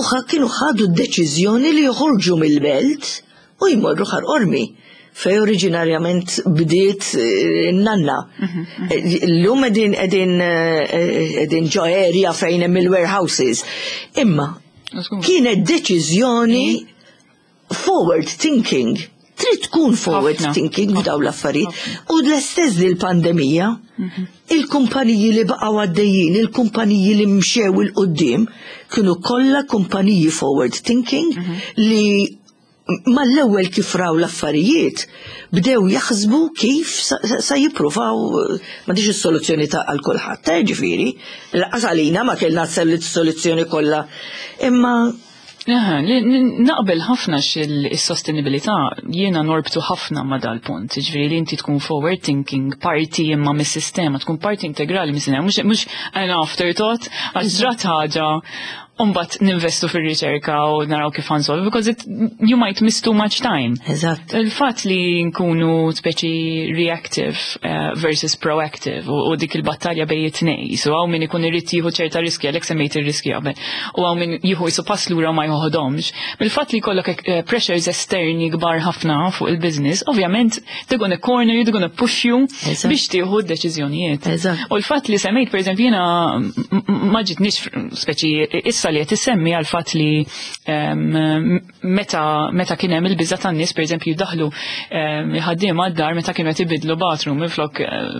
U kienu ħadu d-deċiżjoni li joħorġu mill-Belt u jmorru Ħal Qormi fej oriġinarjament bdiet nanna. Illum qegħdin ġo area fejn hemm il-warehouses. Imma kienet deċiżjoni forward thinking. Trid tkun forward thinking f'daw l-affarijiet. U l-istess li l-pandemija, il-kumpaniji li baqgħu għaddejjin, il-kumpaniji li mxew 'il quddiem, kienu kollha kumpaniji forward thinking li mal-ewwel kif raw l-affarijiet bdew jaħsbu kif sa jippruvaw ma diġ is-soluzzjoni ta' għal kulħadd, ġifieri, lanqas għalina ma kellna s-soluzzjoni kollha. Imma Naqbel ħafna il-sostenibilità jiena norbtu ħafna ma dal-punt, ġifieri li inti tkun forward thinking, parti imma mis-sistema, tkun parti integrali mis-sistema, mhux an afterthought, għax ġrat ħaġa Umbat ninvestu fil-riċerka u naraw kif ħa nsolvu, because you might miss too much time. Eżatt. Il-fat li nkunu speċi reactive versus proactive u dik il-battalja bejn it-tnej. So hawn min ikun irid jieħu ċerta riski, għalhekk semmejt ir-riski qabel, u hawn min jieħu jisu pass lura ma joħodhomx. Bil-fatt li jkollok pressures esterni kbar ħafna fuq il-business, ovvjament they're gonna corner you, they're gonna push you biex tieħu d-deċiżjonijiet. U l-fatt li semmejt, per eżempju, jiena ma ġitnix speċi issa Anka li qed issemmi għal fatt li meta kien hemm il-biża' tan-nies, pereżempju, jdaħlu ħaddiema d-dar meta kienu qed ibidlu bathroom minflok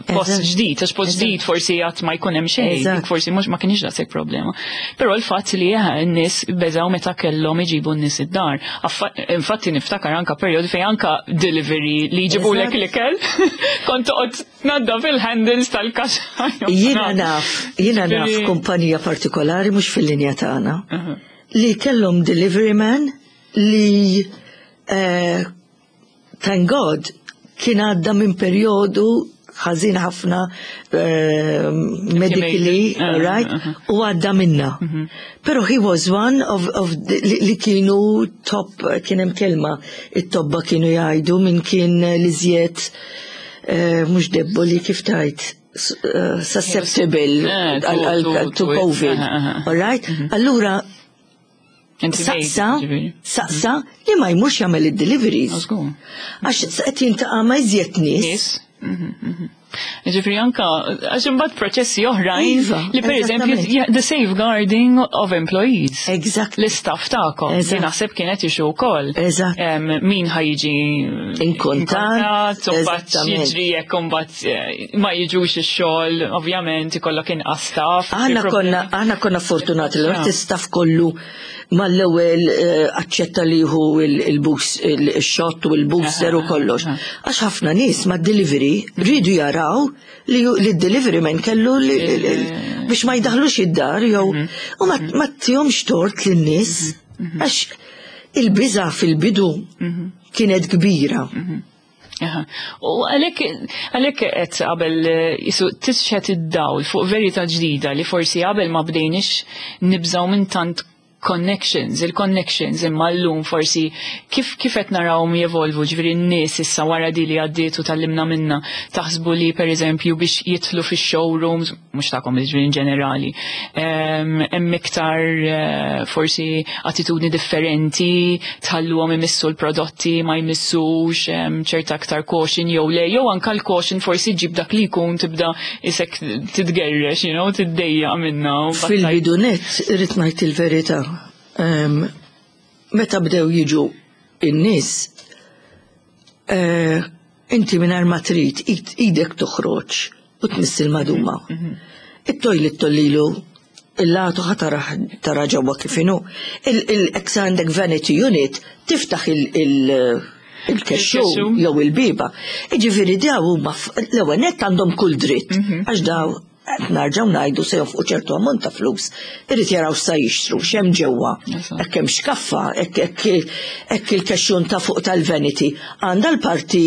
post ġdid, għax post ġdid forsi għad ma jkun hemm xejn, forsi mhux ma kienx daqshekk problema. Però l-fatt li n-nies beżaw meta kellhom iġibu n-nies id-dar. Infatti niftakar anka perjodu fejn anka delivery li jġibulek l-ikel, kont toqgħod tnaddaf il-handles tal-kaxxa. Jiena naf kumpanija partikolari, mhux fil-linja tagħna, li kellhom delivery man li thank God kien għadda minn perjodu ħażin ħafna medically, right? U għadda minna. Pero he was one of the, li kienu top, kien hemm kelma, it-tobba kienu jgħidu minn kien l-iżjed mhux debboli, kif tajt, susceptible to COVID. All right? Allura, saqsa, saqsa li ma jmurx jagħmel id-deliveries. Għax qed jiltaqa' ma' iżjed nies. Ġifieri anka, għax imbagħad proċessi oħrajn iva, li per eżempju the safeguarding of employees. Exactly. L-istaff tagħkom. Li naħseb kienet issue wkoll. Min ħa jiġi in contact, u mbagħad jiġri jekk imbagħad ma jiġux ix-xogħol, ovvjament ikollok inqas staff. Aħna konna fortunati li l-istaff kollu mal-ewwel aċċetta li hu il-shot u il-booster u kollox. Għax ħafna nies ma' delivery rridu jaraw li l-delivery man kellu biex ma jdaħlux id-dar jew u ma tihomx tort lin-nies għax il-biża fil-bidu kienet kbira. U għalhekk qed qabel jisu tixħet id-dawl fuq verità ġdida li forsi qabel ma bdejniex nibżaw minn tant connections, il-connections, imma l-lum forsi kif qed narawhom jevolvu, ġifieri n-nies issa wara di li għaddiet u tgħallimna minna, taħsbu li pereżempju biex jidħlu fix-showrooms, mhux tagħkom, ġifieri in ġenerali, hemm iktar forsi attitudni differenti, tħalluhom imissu l-prodotti, ma jmissux, ċerta aktar caution jew le, jew anka l-caution forsi ġib dak li jkun tibda isek titgerrex, tiddejja minna? Fil-bidu net, irrid ngħid il-verità. Meta bdew jiġu in-nies, inti mingħajr ma trid idek toħroġ u tmiss il-maduma. It-toilet tollilu il-latu ħa tara ġewwa kif inhu. Il-ex għandek vanity unit, tiftaħ il-kexxu jew il-biba. Iġifieri daw huma l-ewwel nett għandhom kull dritt għax daw qed narġgħu ngħidu se jonfqu ċertu ammont ta' flus, irid jaraw sa jixtru, x'hemm ġewwa, hekk hemm xkaffa, hekk il-kexxun ta' fuq tal-vanity għandha l-parti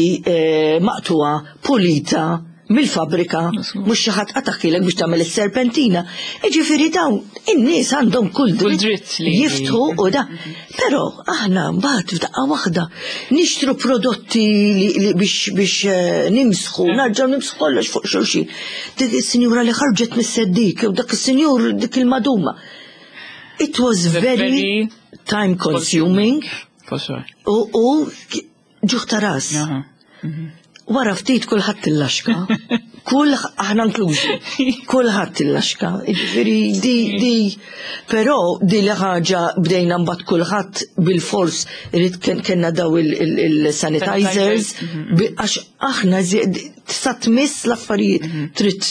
maqtuha pulita mill-fabrika, mhux xi ħadd qatagħhielek biex tagħmel is-serpentina. Jiġifieri dawn in-nies għandhom kull dritt li jiftħu u da. Però aħna mbagħad f'daqqa waħda nixtru prodotti li biex nimsħu, narġgħu nimsħu kollox fuq xulxin. Dik is-sinjura li ħarġet mis-seddik, jew dak is-sinjur dik il-maduma. It was very time consuming. For sure. U ġuħ ta' ras. Wara ftit kulħadd il-laxka. Kull aħna inklużi. Kulħadd il-laxka. Ġifieri di però di li ħaġa bdejna mbagħad kulħadd bil-fors irid kellna daw il-sanitizers għax aħna tista' tmiss l-affarijiet. Trid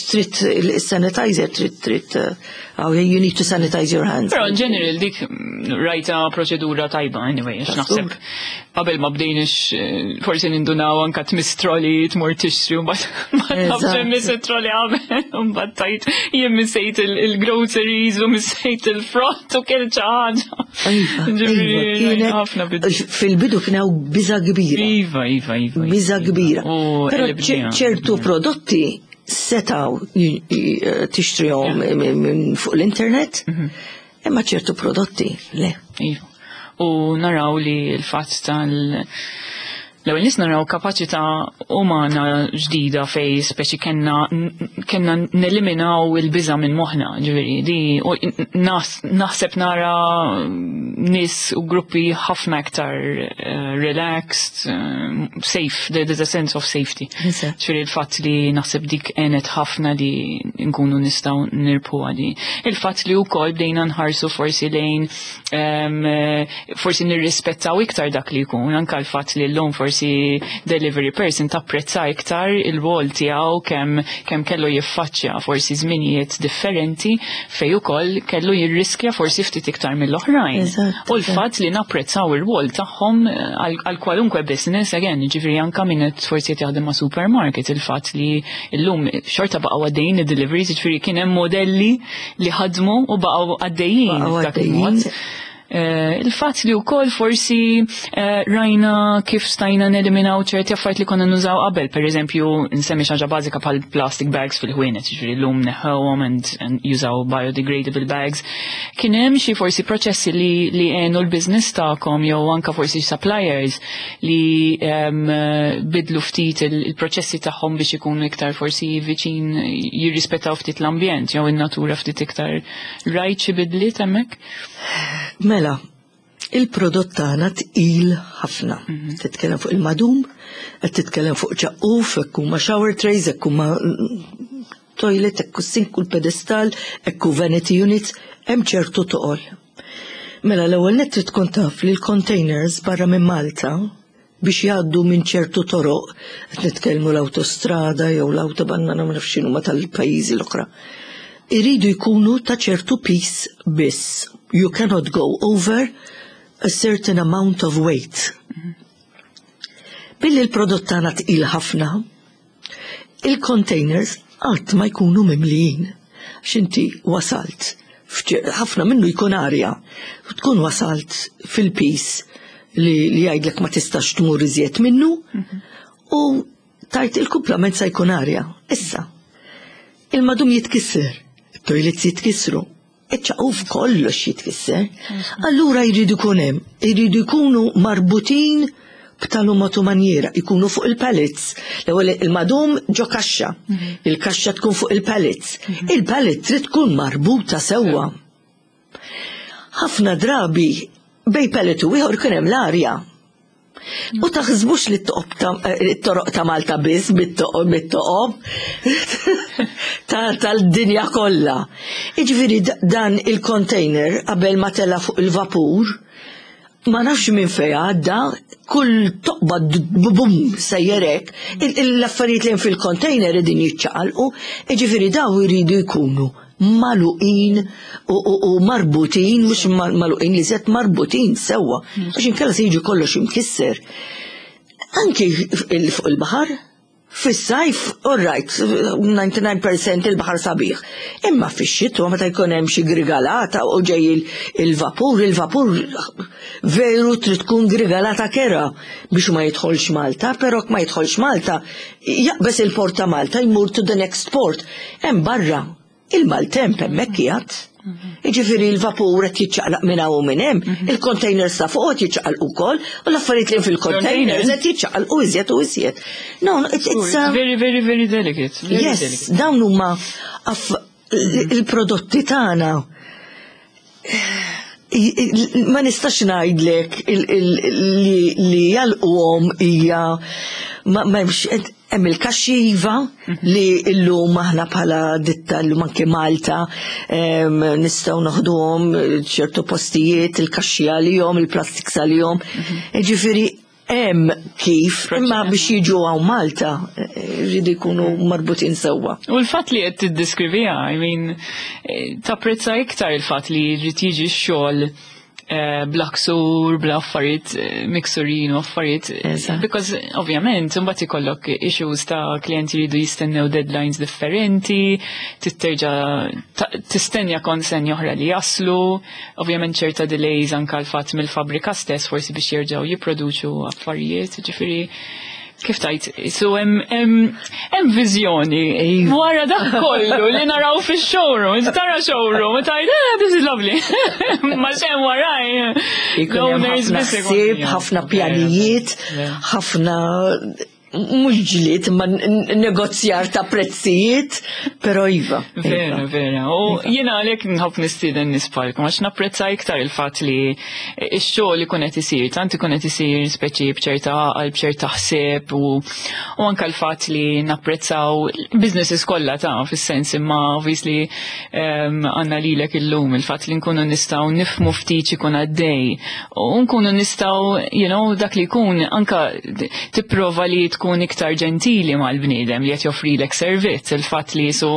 il-sanitizer, trid oh, you need to sanitize your hands. Però in general dik rajta proċedura tajba anyway, għax naħseb qabel ma bdejniex forsi nindunaw anka tmiss trolley, tmur tixtri u mbagħad ma nafx miss trolley qabel u mbagħad tajt jien missejt il-groceries u missejt il-frott u kien xi ħaġa. Iva, Ġifieri, ħafna bidu. Fil-bidu kien hawn biża kbira. Iva. Biża kbira. U Però qlibniha. ċertu prodotti setaw tixtrihom minn fuq l-internet, imma ċertu prodotti le. Iva. U naraw li l-fatt tal L-ewwel nies naraw kapaċità umana ġdida fej speċi kellna neliminaw il-biża' minn moħħna, ġifieri di u naħseb nara nies u gruppi ħafna iktar relaxed, safe, there's a sense of safety. Ġifieri il-fatt li naħseb dik għenet ħafna li nkunu nistgħu nirbħu għadi. Il-fatt li wkoll bdejna nħarsu forsi lejn forsi nirrispettaw iktar dak li jkun, anka l-fatt li llum forsi delivery person tapprezza iktar il-rol tiegħu kemm kellu jiffaċċja forsi żminijiet differenti fej ukoll kellu jirriskja forsi ftit iktar mill-oħrajn. U l-fatt li napprezzaw ir-rwol tagħhom għal kwalunkwe business, again, ġifieri anka min qed forsi qed jaħdem ma' supermarket, il-fatt li llum xorta baqgħu għaddejjin id-deliveries, ġifieri kien hemm modelli li ħadmu u baqgħu għaddejjin f'dak il-mod. Il-fatt li wkoll forsi rajna kif stajna neliminaw ċerti affarijiet li konna nużaw qabel, per eżempju, nsemmi xi ħaġa bażika bħal plastic bags fil-ħwienet, ġifieri llum neħħewhom and jużaw biodegradable bags. Kien hemm xi forsi proċessi li għenu l-business tagħkom jew anka forsi suppliers li bidlu ftit il-proċessi tagħhom biex ikunu iktar forsi viċin jirrispettaw ftit l-ambjent jew in-natura ftit iktar? Rajt xi bidliet hemmhekk? Mela, il-prodott tagħna tqil ħafna. Titkellem fuq il-madum, qed titkellem fuq ċaqquf, hekk huma shower trays, hekk huma toilet, hekk sink u l-pedestal, hekk vanity units, hemm ċertu toqol. Mela, l-ewwel nett trid tkun taf li l-containers barra minn Malta biex jgħaddu minn ċertu toroq, qed nitkellmu l-autostrada jew l-autobahn, ma nafx x'inhuma tal-pajjiżi l-oħra, iridu jkunu ta' ċertu piż biss. You cannot go over a certain amount of weight. Billi l-prodott tagħna tqil ħafna, il-containers qatt ma jkunu mimlijin. X'inti wasalt, ħafna minnu jkun arja, tkun wasalt fil-piż li jgħidlek ma tistax tmur iżjed minnu u tajt il-kumplament sa jkun arja. Issa, il-madum jitkisser, il-toilets jitkissru, iċ-ċaquf kollox jitkisser. Allura jridu jkun hemm, jridu jkunu marbutin b'tali mod u manjiera, jkunu fuq il-pallets. L-ewwel il-madum ġo kaxxa, il-kaxxa tkun fuq il-pallets. Il-pallet trid tkun marbuta sewwa. Ħafna drabi bejn pallet u ieħor kien hemm l-arja. U taħsbux li t-toroq ta' Malta biss bit-toqob tal-dinja kollha. Iġifieri dan il-container qabel ma tela fuq il-vapur, ma nafx minn fej għadda, kull toqba bum sejjerek, l-affarijiet li fil-container idin jiċċaqalqu, iġifieri daw iridu jkunu magħluqin u marbutin, mhux magħluqin li set marbutin sewwa, għax inkella se jiġi kollox imkisser. Anki fuq il-baħar, fis-sajf, all right, 99% il-baħar sabiħ. Imma fix-xitwa meta jkun hemm xi grigalata u ġej il-vapur, il-vapur veru trid tkun grigalata kera biex ma jidħolx Malta, però ma jidħolx Malta, jaqbeż il-port ta' Malta jmur to the next port. Hemm barra il-maltemp hemmhekk qiegħed. Jiġifieri l-vapur qed jiċċaqlaq minn hawn u minn hemm, il-containers ta' fuq qed jiċċaqalqu wkoll, u l-affarijiet li fil-containers qed jiċċaqalqu iżjed u iżjed. No, it's very, very, very delicate. Very Yes, delicate. Dawn huma il-prodotti tagħna. Ma nistax ngħidlek li jalquhom hija ma hemmx hemm il-kaxxi iva li llum aħna bħala ditta llum anke Malta nistgħu noħduhom ċertu postijiet, il-kaxxi għalihom, il-plastics għalihom. Ġifieri hemm kif, imma biex jiġu hawn Malta jridu jkunu marbutin sewwa. U l-fatt li qed tiddeskriviha, I mean, tapprezza iktar il-fatt li jrid jiġi x-xogħol bla ksur, bla affarijiet miksurin u affarijiet. Because ovvjament, imbagħad ikollok issues ta' klienti jridu jistennew deadlines differenti, titterġa' tistenja konsenja oħra li jaslu, ovvjament ċerta delays anka l-fatt mill-fabrika stess forsi biex jerġgħu jipproduċu affarijiet, ġifieri. Kif tajt, so hemm viżjoni Iva. wara dak kollu li naraw fix-showroom, inti tara showroom u tajt, ah, this is lovely. Ma xem waraj. Ikun hemm l-owners ħafna biss ikun- ħsieb, ħafna pjanijiet, Vera. ħafna mhux ġlied, ma negozjar ta' prezzijiet, però iva. Vera, iva. vera. U jiena għalhekk nħobb nistieden nies bħalkom għax napprezza iktar il-fatt li x-xogħol ikun qed isir, tant ikun qed isir speċi b'ċerta għaqal, b'ċerta ħsieb u anke l-fatt li napprezzaw businesses kollha ta' fis-sens imma obviously għandna lilek illum il-fatt li nkunu nistgħu nifhmu ftit ikun għaddej u nkunu nistgħu dak li jkun anka tipprova li tkun iktar ġentili mal-bniedem li qed joffrilek servizz, il-fatt li su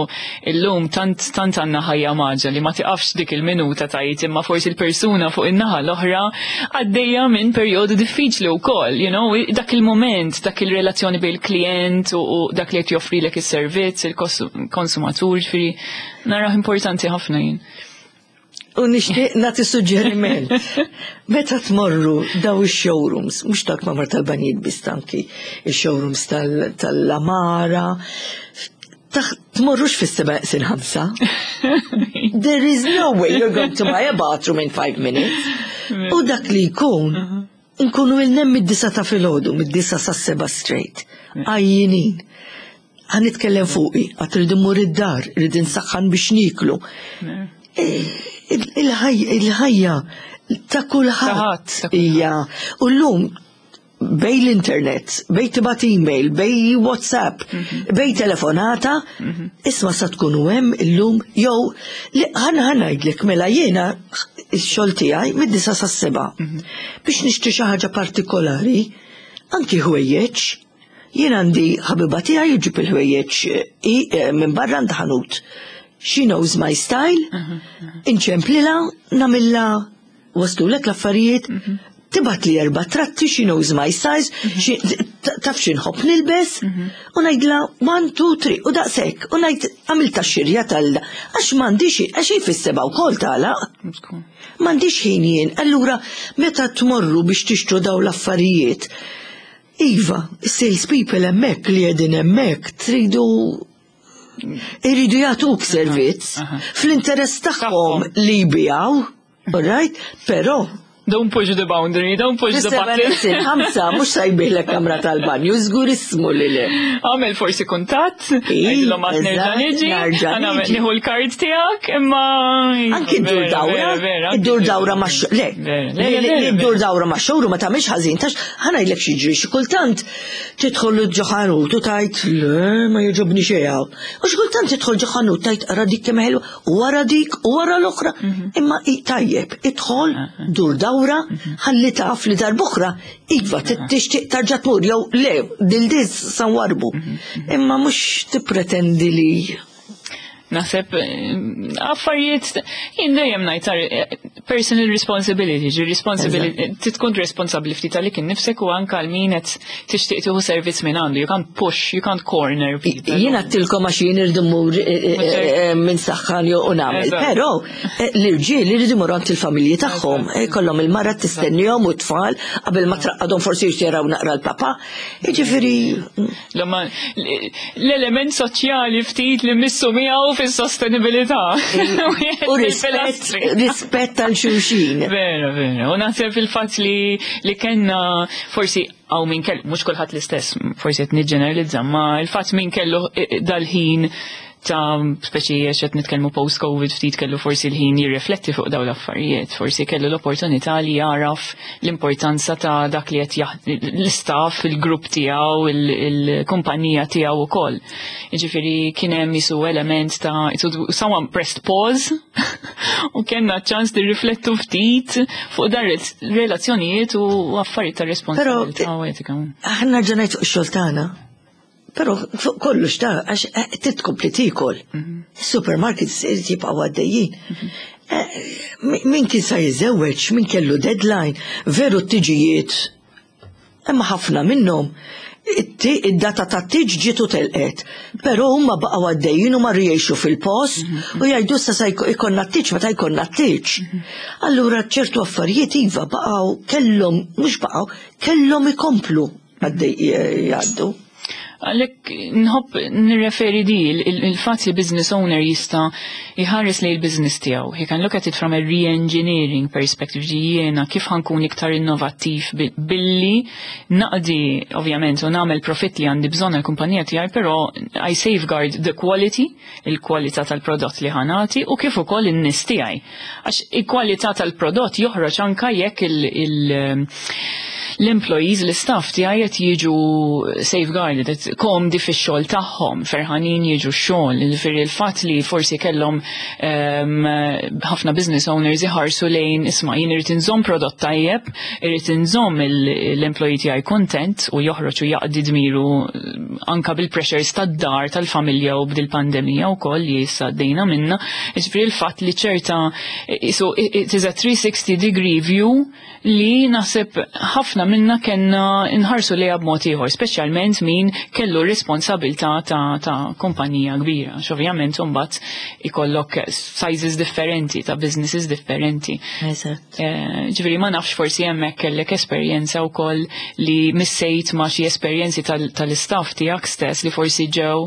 illum tant tant għandna ħajja maġa li ma tiqafx dik il-minuta tajt imma forsi l-persuna fuq in-naħa l-oħra għaddejja minn perjodu diffiċli wkoll, dak il-moment, dak il-relazzjoni bejn il-klient u dak li qed joffrilek is-servizz, il-konsumatur, ġifieri narah importanti ħafna jien. U nixtieq nagħti suġġeriment. Meta tmorru daw ix-showrooms, mhux dak ma' tal-banjiet biss anki, ix-showrooms tal-Amara, tmorrux fis-7 sin 5. There is no way you're going to buy a bathroom in 5 minutes. U dak li jkun, nkunu ilna mid-9 ta' filgħodu, mid-9 sa' 7 straight. Għajjinin. Ħa nitkellem fuqi, għad irrid immur id-dar, rrid insaħħan biex nieklu. Il-ħajja ta' kulħadd hija. U llum bejn l-internet, bejn tibgħat email, bejn WhatsApp, bejn telefonata, isma' sa tkunu hemm illum jew ħa ħa ngħidlek mela jiena x-xogħol tiegħi mid-9 sas-7. Biex nixtri xi ħaġa partikolari, anki ħwejjeġ, jien għandi ħabiba tiegħi jġib il-ħwejjeġ minn barra għand ħanut. She knows my style, inċemplilha, nagħmilha waslulek l-affarijiet, tibgħat li erba' tratti, she knows my size, taf x'inħobb nilbes, u ngħidla 1, 2, 3, u daqshekk, u ngħid għamilta xirja tal għax m'għandix, għax fis-7 wkoll tagħlaq. M'għandix ħin jien, allura meta tmorru biex tixtru daw l-affarijiet, iva, sales people hemmhekk li qegħdin hemmhekk tridu iridu jagħtuk servizz fl-interess tagħhom li jbigħu, all right? Però Don't push the boundary, don't push the button. 5, mhux sa jbigħlek kamra tal-banju, żgur ismu li le. Għamel forsi kuntatt, għidilhom għad nerġa' niġi, nieħu l-kard tiegħek, imma. Anki ddur dawra, iddur dawra ma' le, iddur dawra ma' showroom ma tagħmilx ħażin, tax ħa ngħidlek x'jiġri xi kultant tidħol ġo ħanut u tajt le ma jogħġobni xejn hawn. U xi kultant tidħol ġo ħanut tajt ara dik kemm ħelwa, u wara dik u wara l-oħra. Imma tajjeb, idħol, dur dawra, ħalli taf li darb'oħra, iva tixtieq tarġa' tmur jew le, dil-dis sa nwarrbu. Imma mhux tippretendi li Naħseb affarijiet jien dejjem ngħid personal responsibility, ġi responsibility, tkun responsabbli ftit għalik innifsek u anke għal min qed tixtieq tieħu servizz minn għandu. You can't push, you can't corner people. Jien għedtilkom għax jien irrid immur minn saħħan jew u nagħmel, però l-irġiel iridu jmorru għand il-familji tagħhom, kollhom il-mara tistennihom u t-tfal qabel ma traqqadhom forsi jaraw naqra l-papa. Jiġifieri L-element soċjali ftit li missu miegħu fis-sostenibilità. U rispett għal xulxin. Vera, vera. U naħseb il-fatt li kellna forsi għaw min kellu, mhux kulħadd l-istess, forsi qed niġġeneralizza, ma il-fatt min kellu dal-ħin ta' speċi qed nitkellmu post-Covid ftit kellu forsi l-ħin jirrifletti fuq dawn l-affarijiet, forsi kellu l-opportunità li jaraf l-importanza ta' dak li qed l-istaff, il-grupp tiegħu, il-kumpanija tiegħu wkoll. Jiġifieri kien hemm jisu element ta' someone pressed pause u kellna ċans li riflettu ftit fuq dar relazzjonijiet u affarijiet ta' responsabilità u etika. Aħna ġenajt fuq ix-xogħol tagħna. Però fuq kollox ta' għax titkompli tiekol. Supermarkets jibqgħu għaddejjin. Min kien sa jiżewweġ, min kellu deadline, veru t-tiġijiet, imma ħafna minnhom id-data ta' tiġ ġitu telqet. Però huma baqgħu għaddejjin u marru jgħixu fil-post u jgħidu sa sa jkollna t-tiġ meta jkollna t-tiġ. Allura ċertu affarijiet iva baqgħu kellhom, mhux baqgħu, kellhom ikomplu. għaddej jgħaddu. Għalhekk nħobb nirreferi di il-fatt li business owner jista' jħares li l-business tiegħu. He can look at it from a re-engineering perspective, ġi jiena kif ħa nkun iktar innovattiv billi naqdi ovvjament u nagħmel profit li għandi bżonn il-kumpanija tiegħi, però I safeguard the quality, il-kwalità tal-prodott li ħa nagħti u kif ukoll in-nies tiegħi. Għax il-kwalità tal-prodott joħroġ anka jekk l-employees, l-staff tiegħi qed jiġu safeguarded, qed komdi fix-xogħol tagħhom, ferħanin jiġu x-xogħol. Jiġifieri il-fatt li forsi kellhom ħafna business owners iħarsu lejn isma' jien irid inżomm prodott tajjeb, irid inżomm l-employee tiegħi content u joħroġ u jaqdi dmiru anka bil-pressures tad-dar, tal-familja u bdil-pandemija wkoll li issa għaddejna minna. Jiġifieri il-fatt li ċerta so it is a 360 degree view li naħseb ħafna minna kellna nħarsu lejha b'mod ieħor, speċjalment min kellu responsabilità ta' kumpanija kbira. Ovvjament imbagħad ikollok sizes differenti ta' businesses differenti. Ġifieri ma nafx forsi hemmhekk kellek esperjenza wkoll li missejt ma' xi esperjenzi tal-istaff tiegħek stess li forsi ġew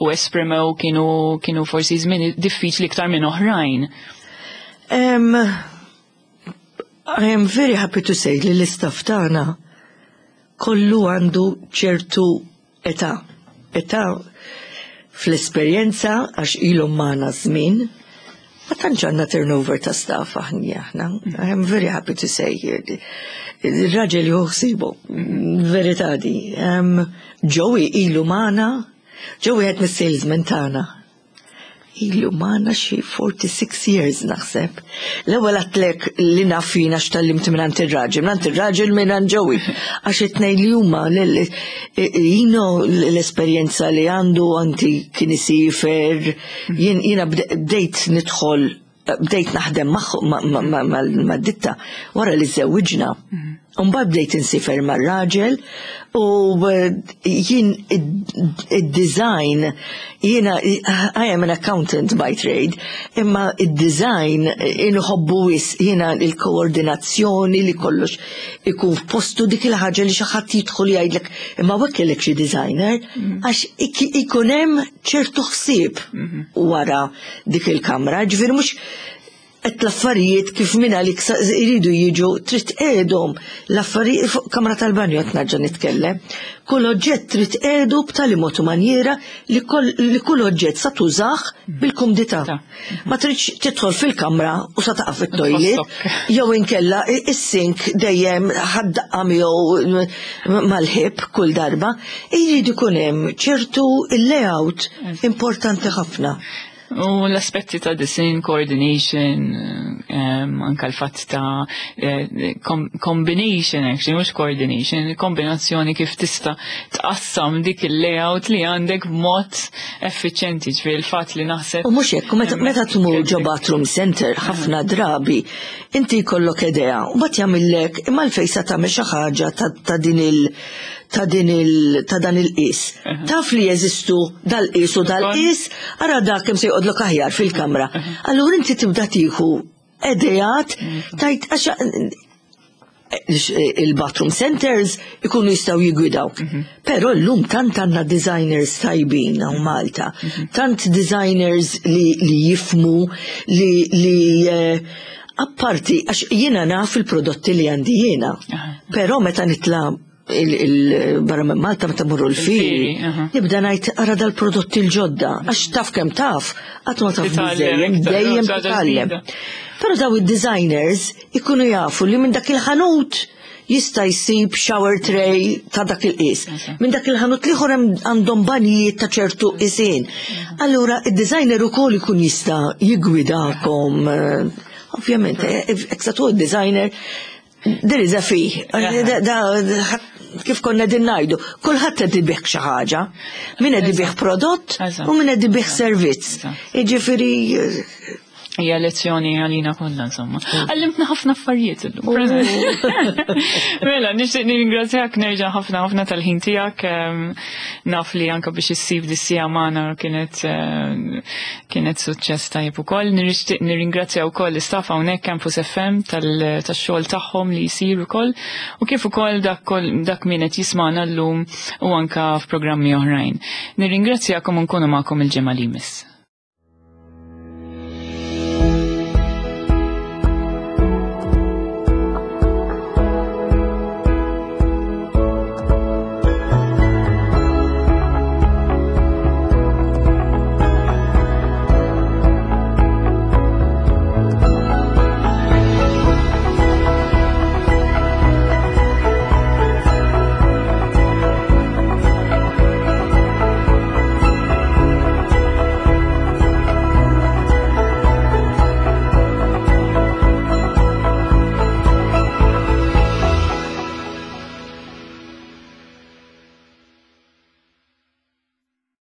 u esprimew kienu forsi żmien diffiċli iktar minn oħrajn. I am very happy to say li l-istaff tagħna kollu għandu ċertu età. Età fl-esperjenza għax ilhom magħna żmien. Ma tantx għandna turnover ta' staff aħna aħna. I am very happy to say il-raġel juħsibu, verità di. Joey ilu magħna, Joey qed mis-salesman tagħna. Ilu magħna xi 46 years naħseb. L-ewwel għedtlek li naf jiena x'tgħallimt minn ir-raġel, minn ir-raġel minn Joey. Għax it-tnejn li huma jino l-esperjenza li għandu anti kien isifer, jiena bdejt nidħol, bdejt naħdem ma' ditta wara li żewwiġna. Umbagħad bdejt insifer mar-raġel u jien id-design, jiena I am an accountant by trade, imma id-design inħobbu wisq jiena il-koordinazzjoni li kollox ikun f'postu, dik il-ħaġa li xi ħadd jidħol jgħidlek imma hekk kellek xi designer, għax ikun hemm ċertu ħsieb wara dik il-kamra, ġifieri mhux qed l-affarijiet kif minn għalik iridu jiġu, trid tqegħedhom l-affarijiet fuq kamra tal-banju qed nerġa' nitkellem. Kull oġġett trid tqiegħdu b'tali mod u manjiera li kull oġġett sa tużah bil-kumdità. Ma tridx tidħol fil-kamra u sa taqa' fit-toilet jew inkella is-sink dejjem ħaddaqqa miegħu mal-ħib kull darba. Irid ikun hemm ċertu il-layout importanti ħafna. U l-aspetti ta' design, coordination, anka l-fatt ta' combination, actually, mhux coordination, kombinazzjoni kif tista' tqassam dik il-layout li għandek b'mod effiċjenti, ġifieri il-fatt li naħseb. U mhux hekk, meta tmur ġo bathroom center ħafna drabi, inti jkollok idea, u mbagħad jagħmillek imma l-fejn sa tagħmel xi ħaġa ta' dan il-qis. Taf li jeżistu dal-qis u dal-qis, ara dak kemm se joqgħodlok aħjar fil-kamra. Allura inti tibda tieħu ideat tajt għax il-bathroom centers ikunu jistgħu jigwidawk. Però llum tant għandna designers tajbin hawn Malta, tant designers li jifhmu li apparti, għax jiena naf il-prodotti li għandi jiena. Però meta nitla' il-barra minn Malta, meta mmorru l-fieri, nibda ngħid ara dal-prodotti l-ġodda, għax taf kemm taf, qatt ma taf biżejjed, dejjem titgħallem. Però daw id-designers ikunu jafu li minn dak il-ħanut jista' jsib shower tray ta' dak il-qis. Minn dak il-ħanut l-ieħor għandhom banjijiet ta' ċertu qisien. Allura id-designer ukoll ikun jista' jigwidakom. Ovvjament, jekk sa designer, there is a fee. Da, kif konna din ngħidu, kulħadd qed ibigħ xi ħaġa. Min qed ibigħ prodott u min qed ibigħ servizz. Jiġifieri. Hija lezzjoni għalina kollha insomma. Għallimtna ħafna affarijiet illum. Mela, nixtieq nirringrazzjak nerġa' ħafna ħafna tal-ħin tiegħek. Naf li anke biex issib dis-sija magħna kienet kienet suċċess tajjeb ukoll. Nixtieq nirringrazzja wkoll l-istaff hawnhekk Campus FM tax-xogħol tagħhom li jsir ukoll u kif ukoll dak dak min qed jismagħna llum u anke f'programmi oħrajn. Nirringrazzjakom u nkunu magħkom il-ġimgħa li jmiss.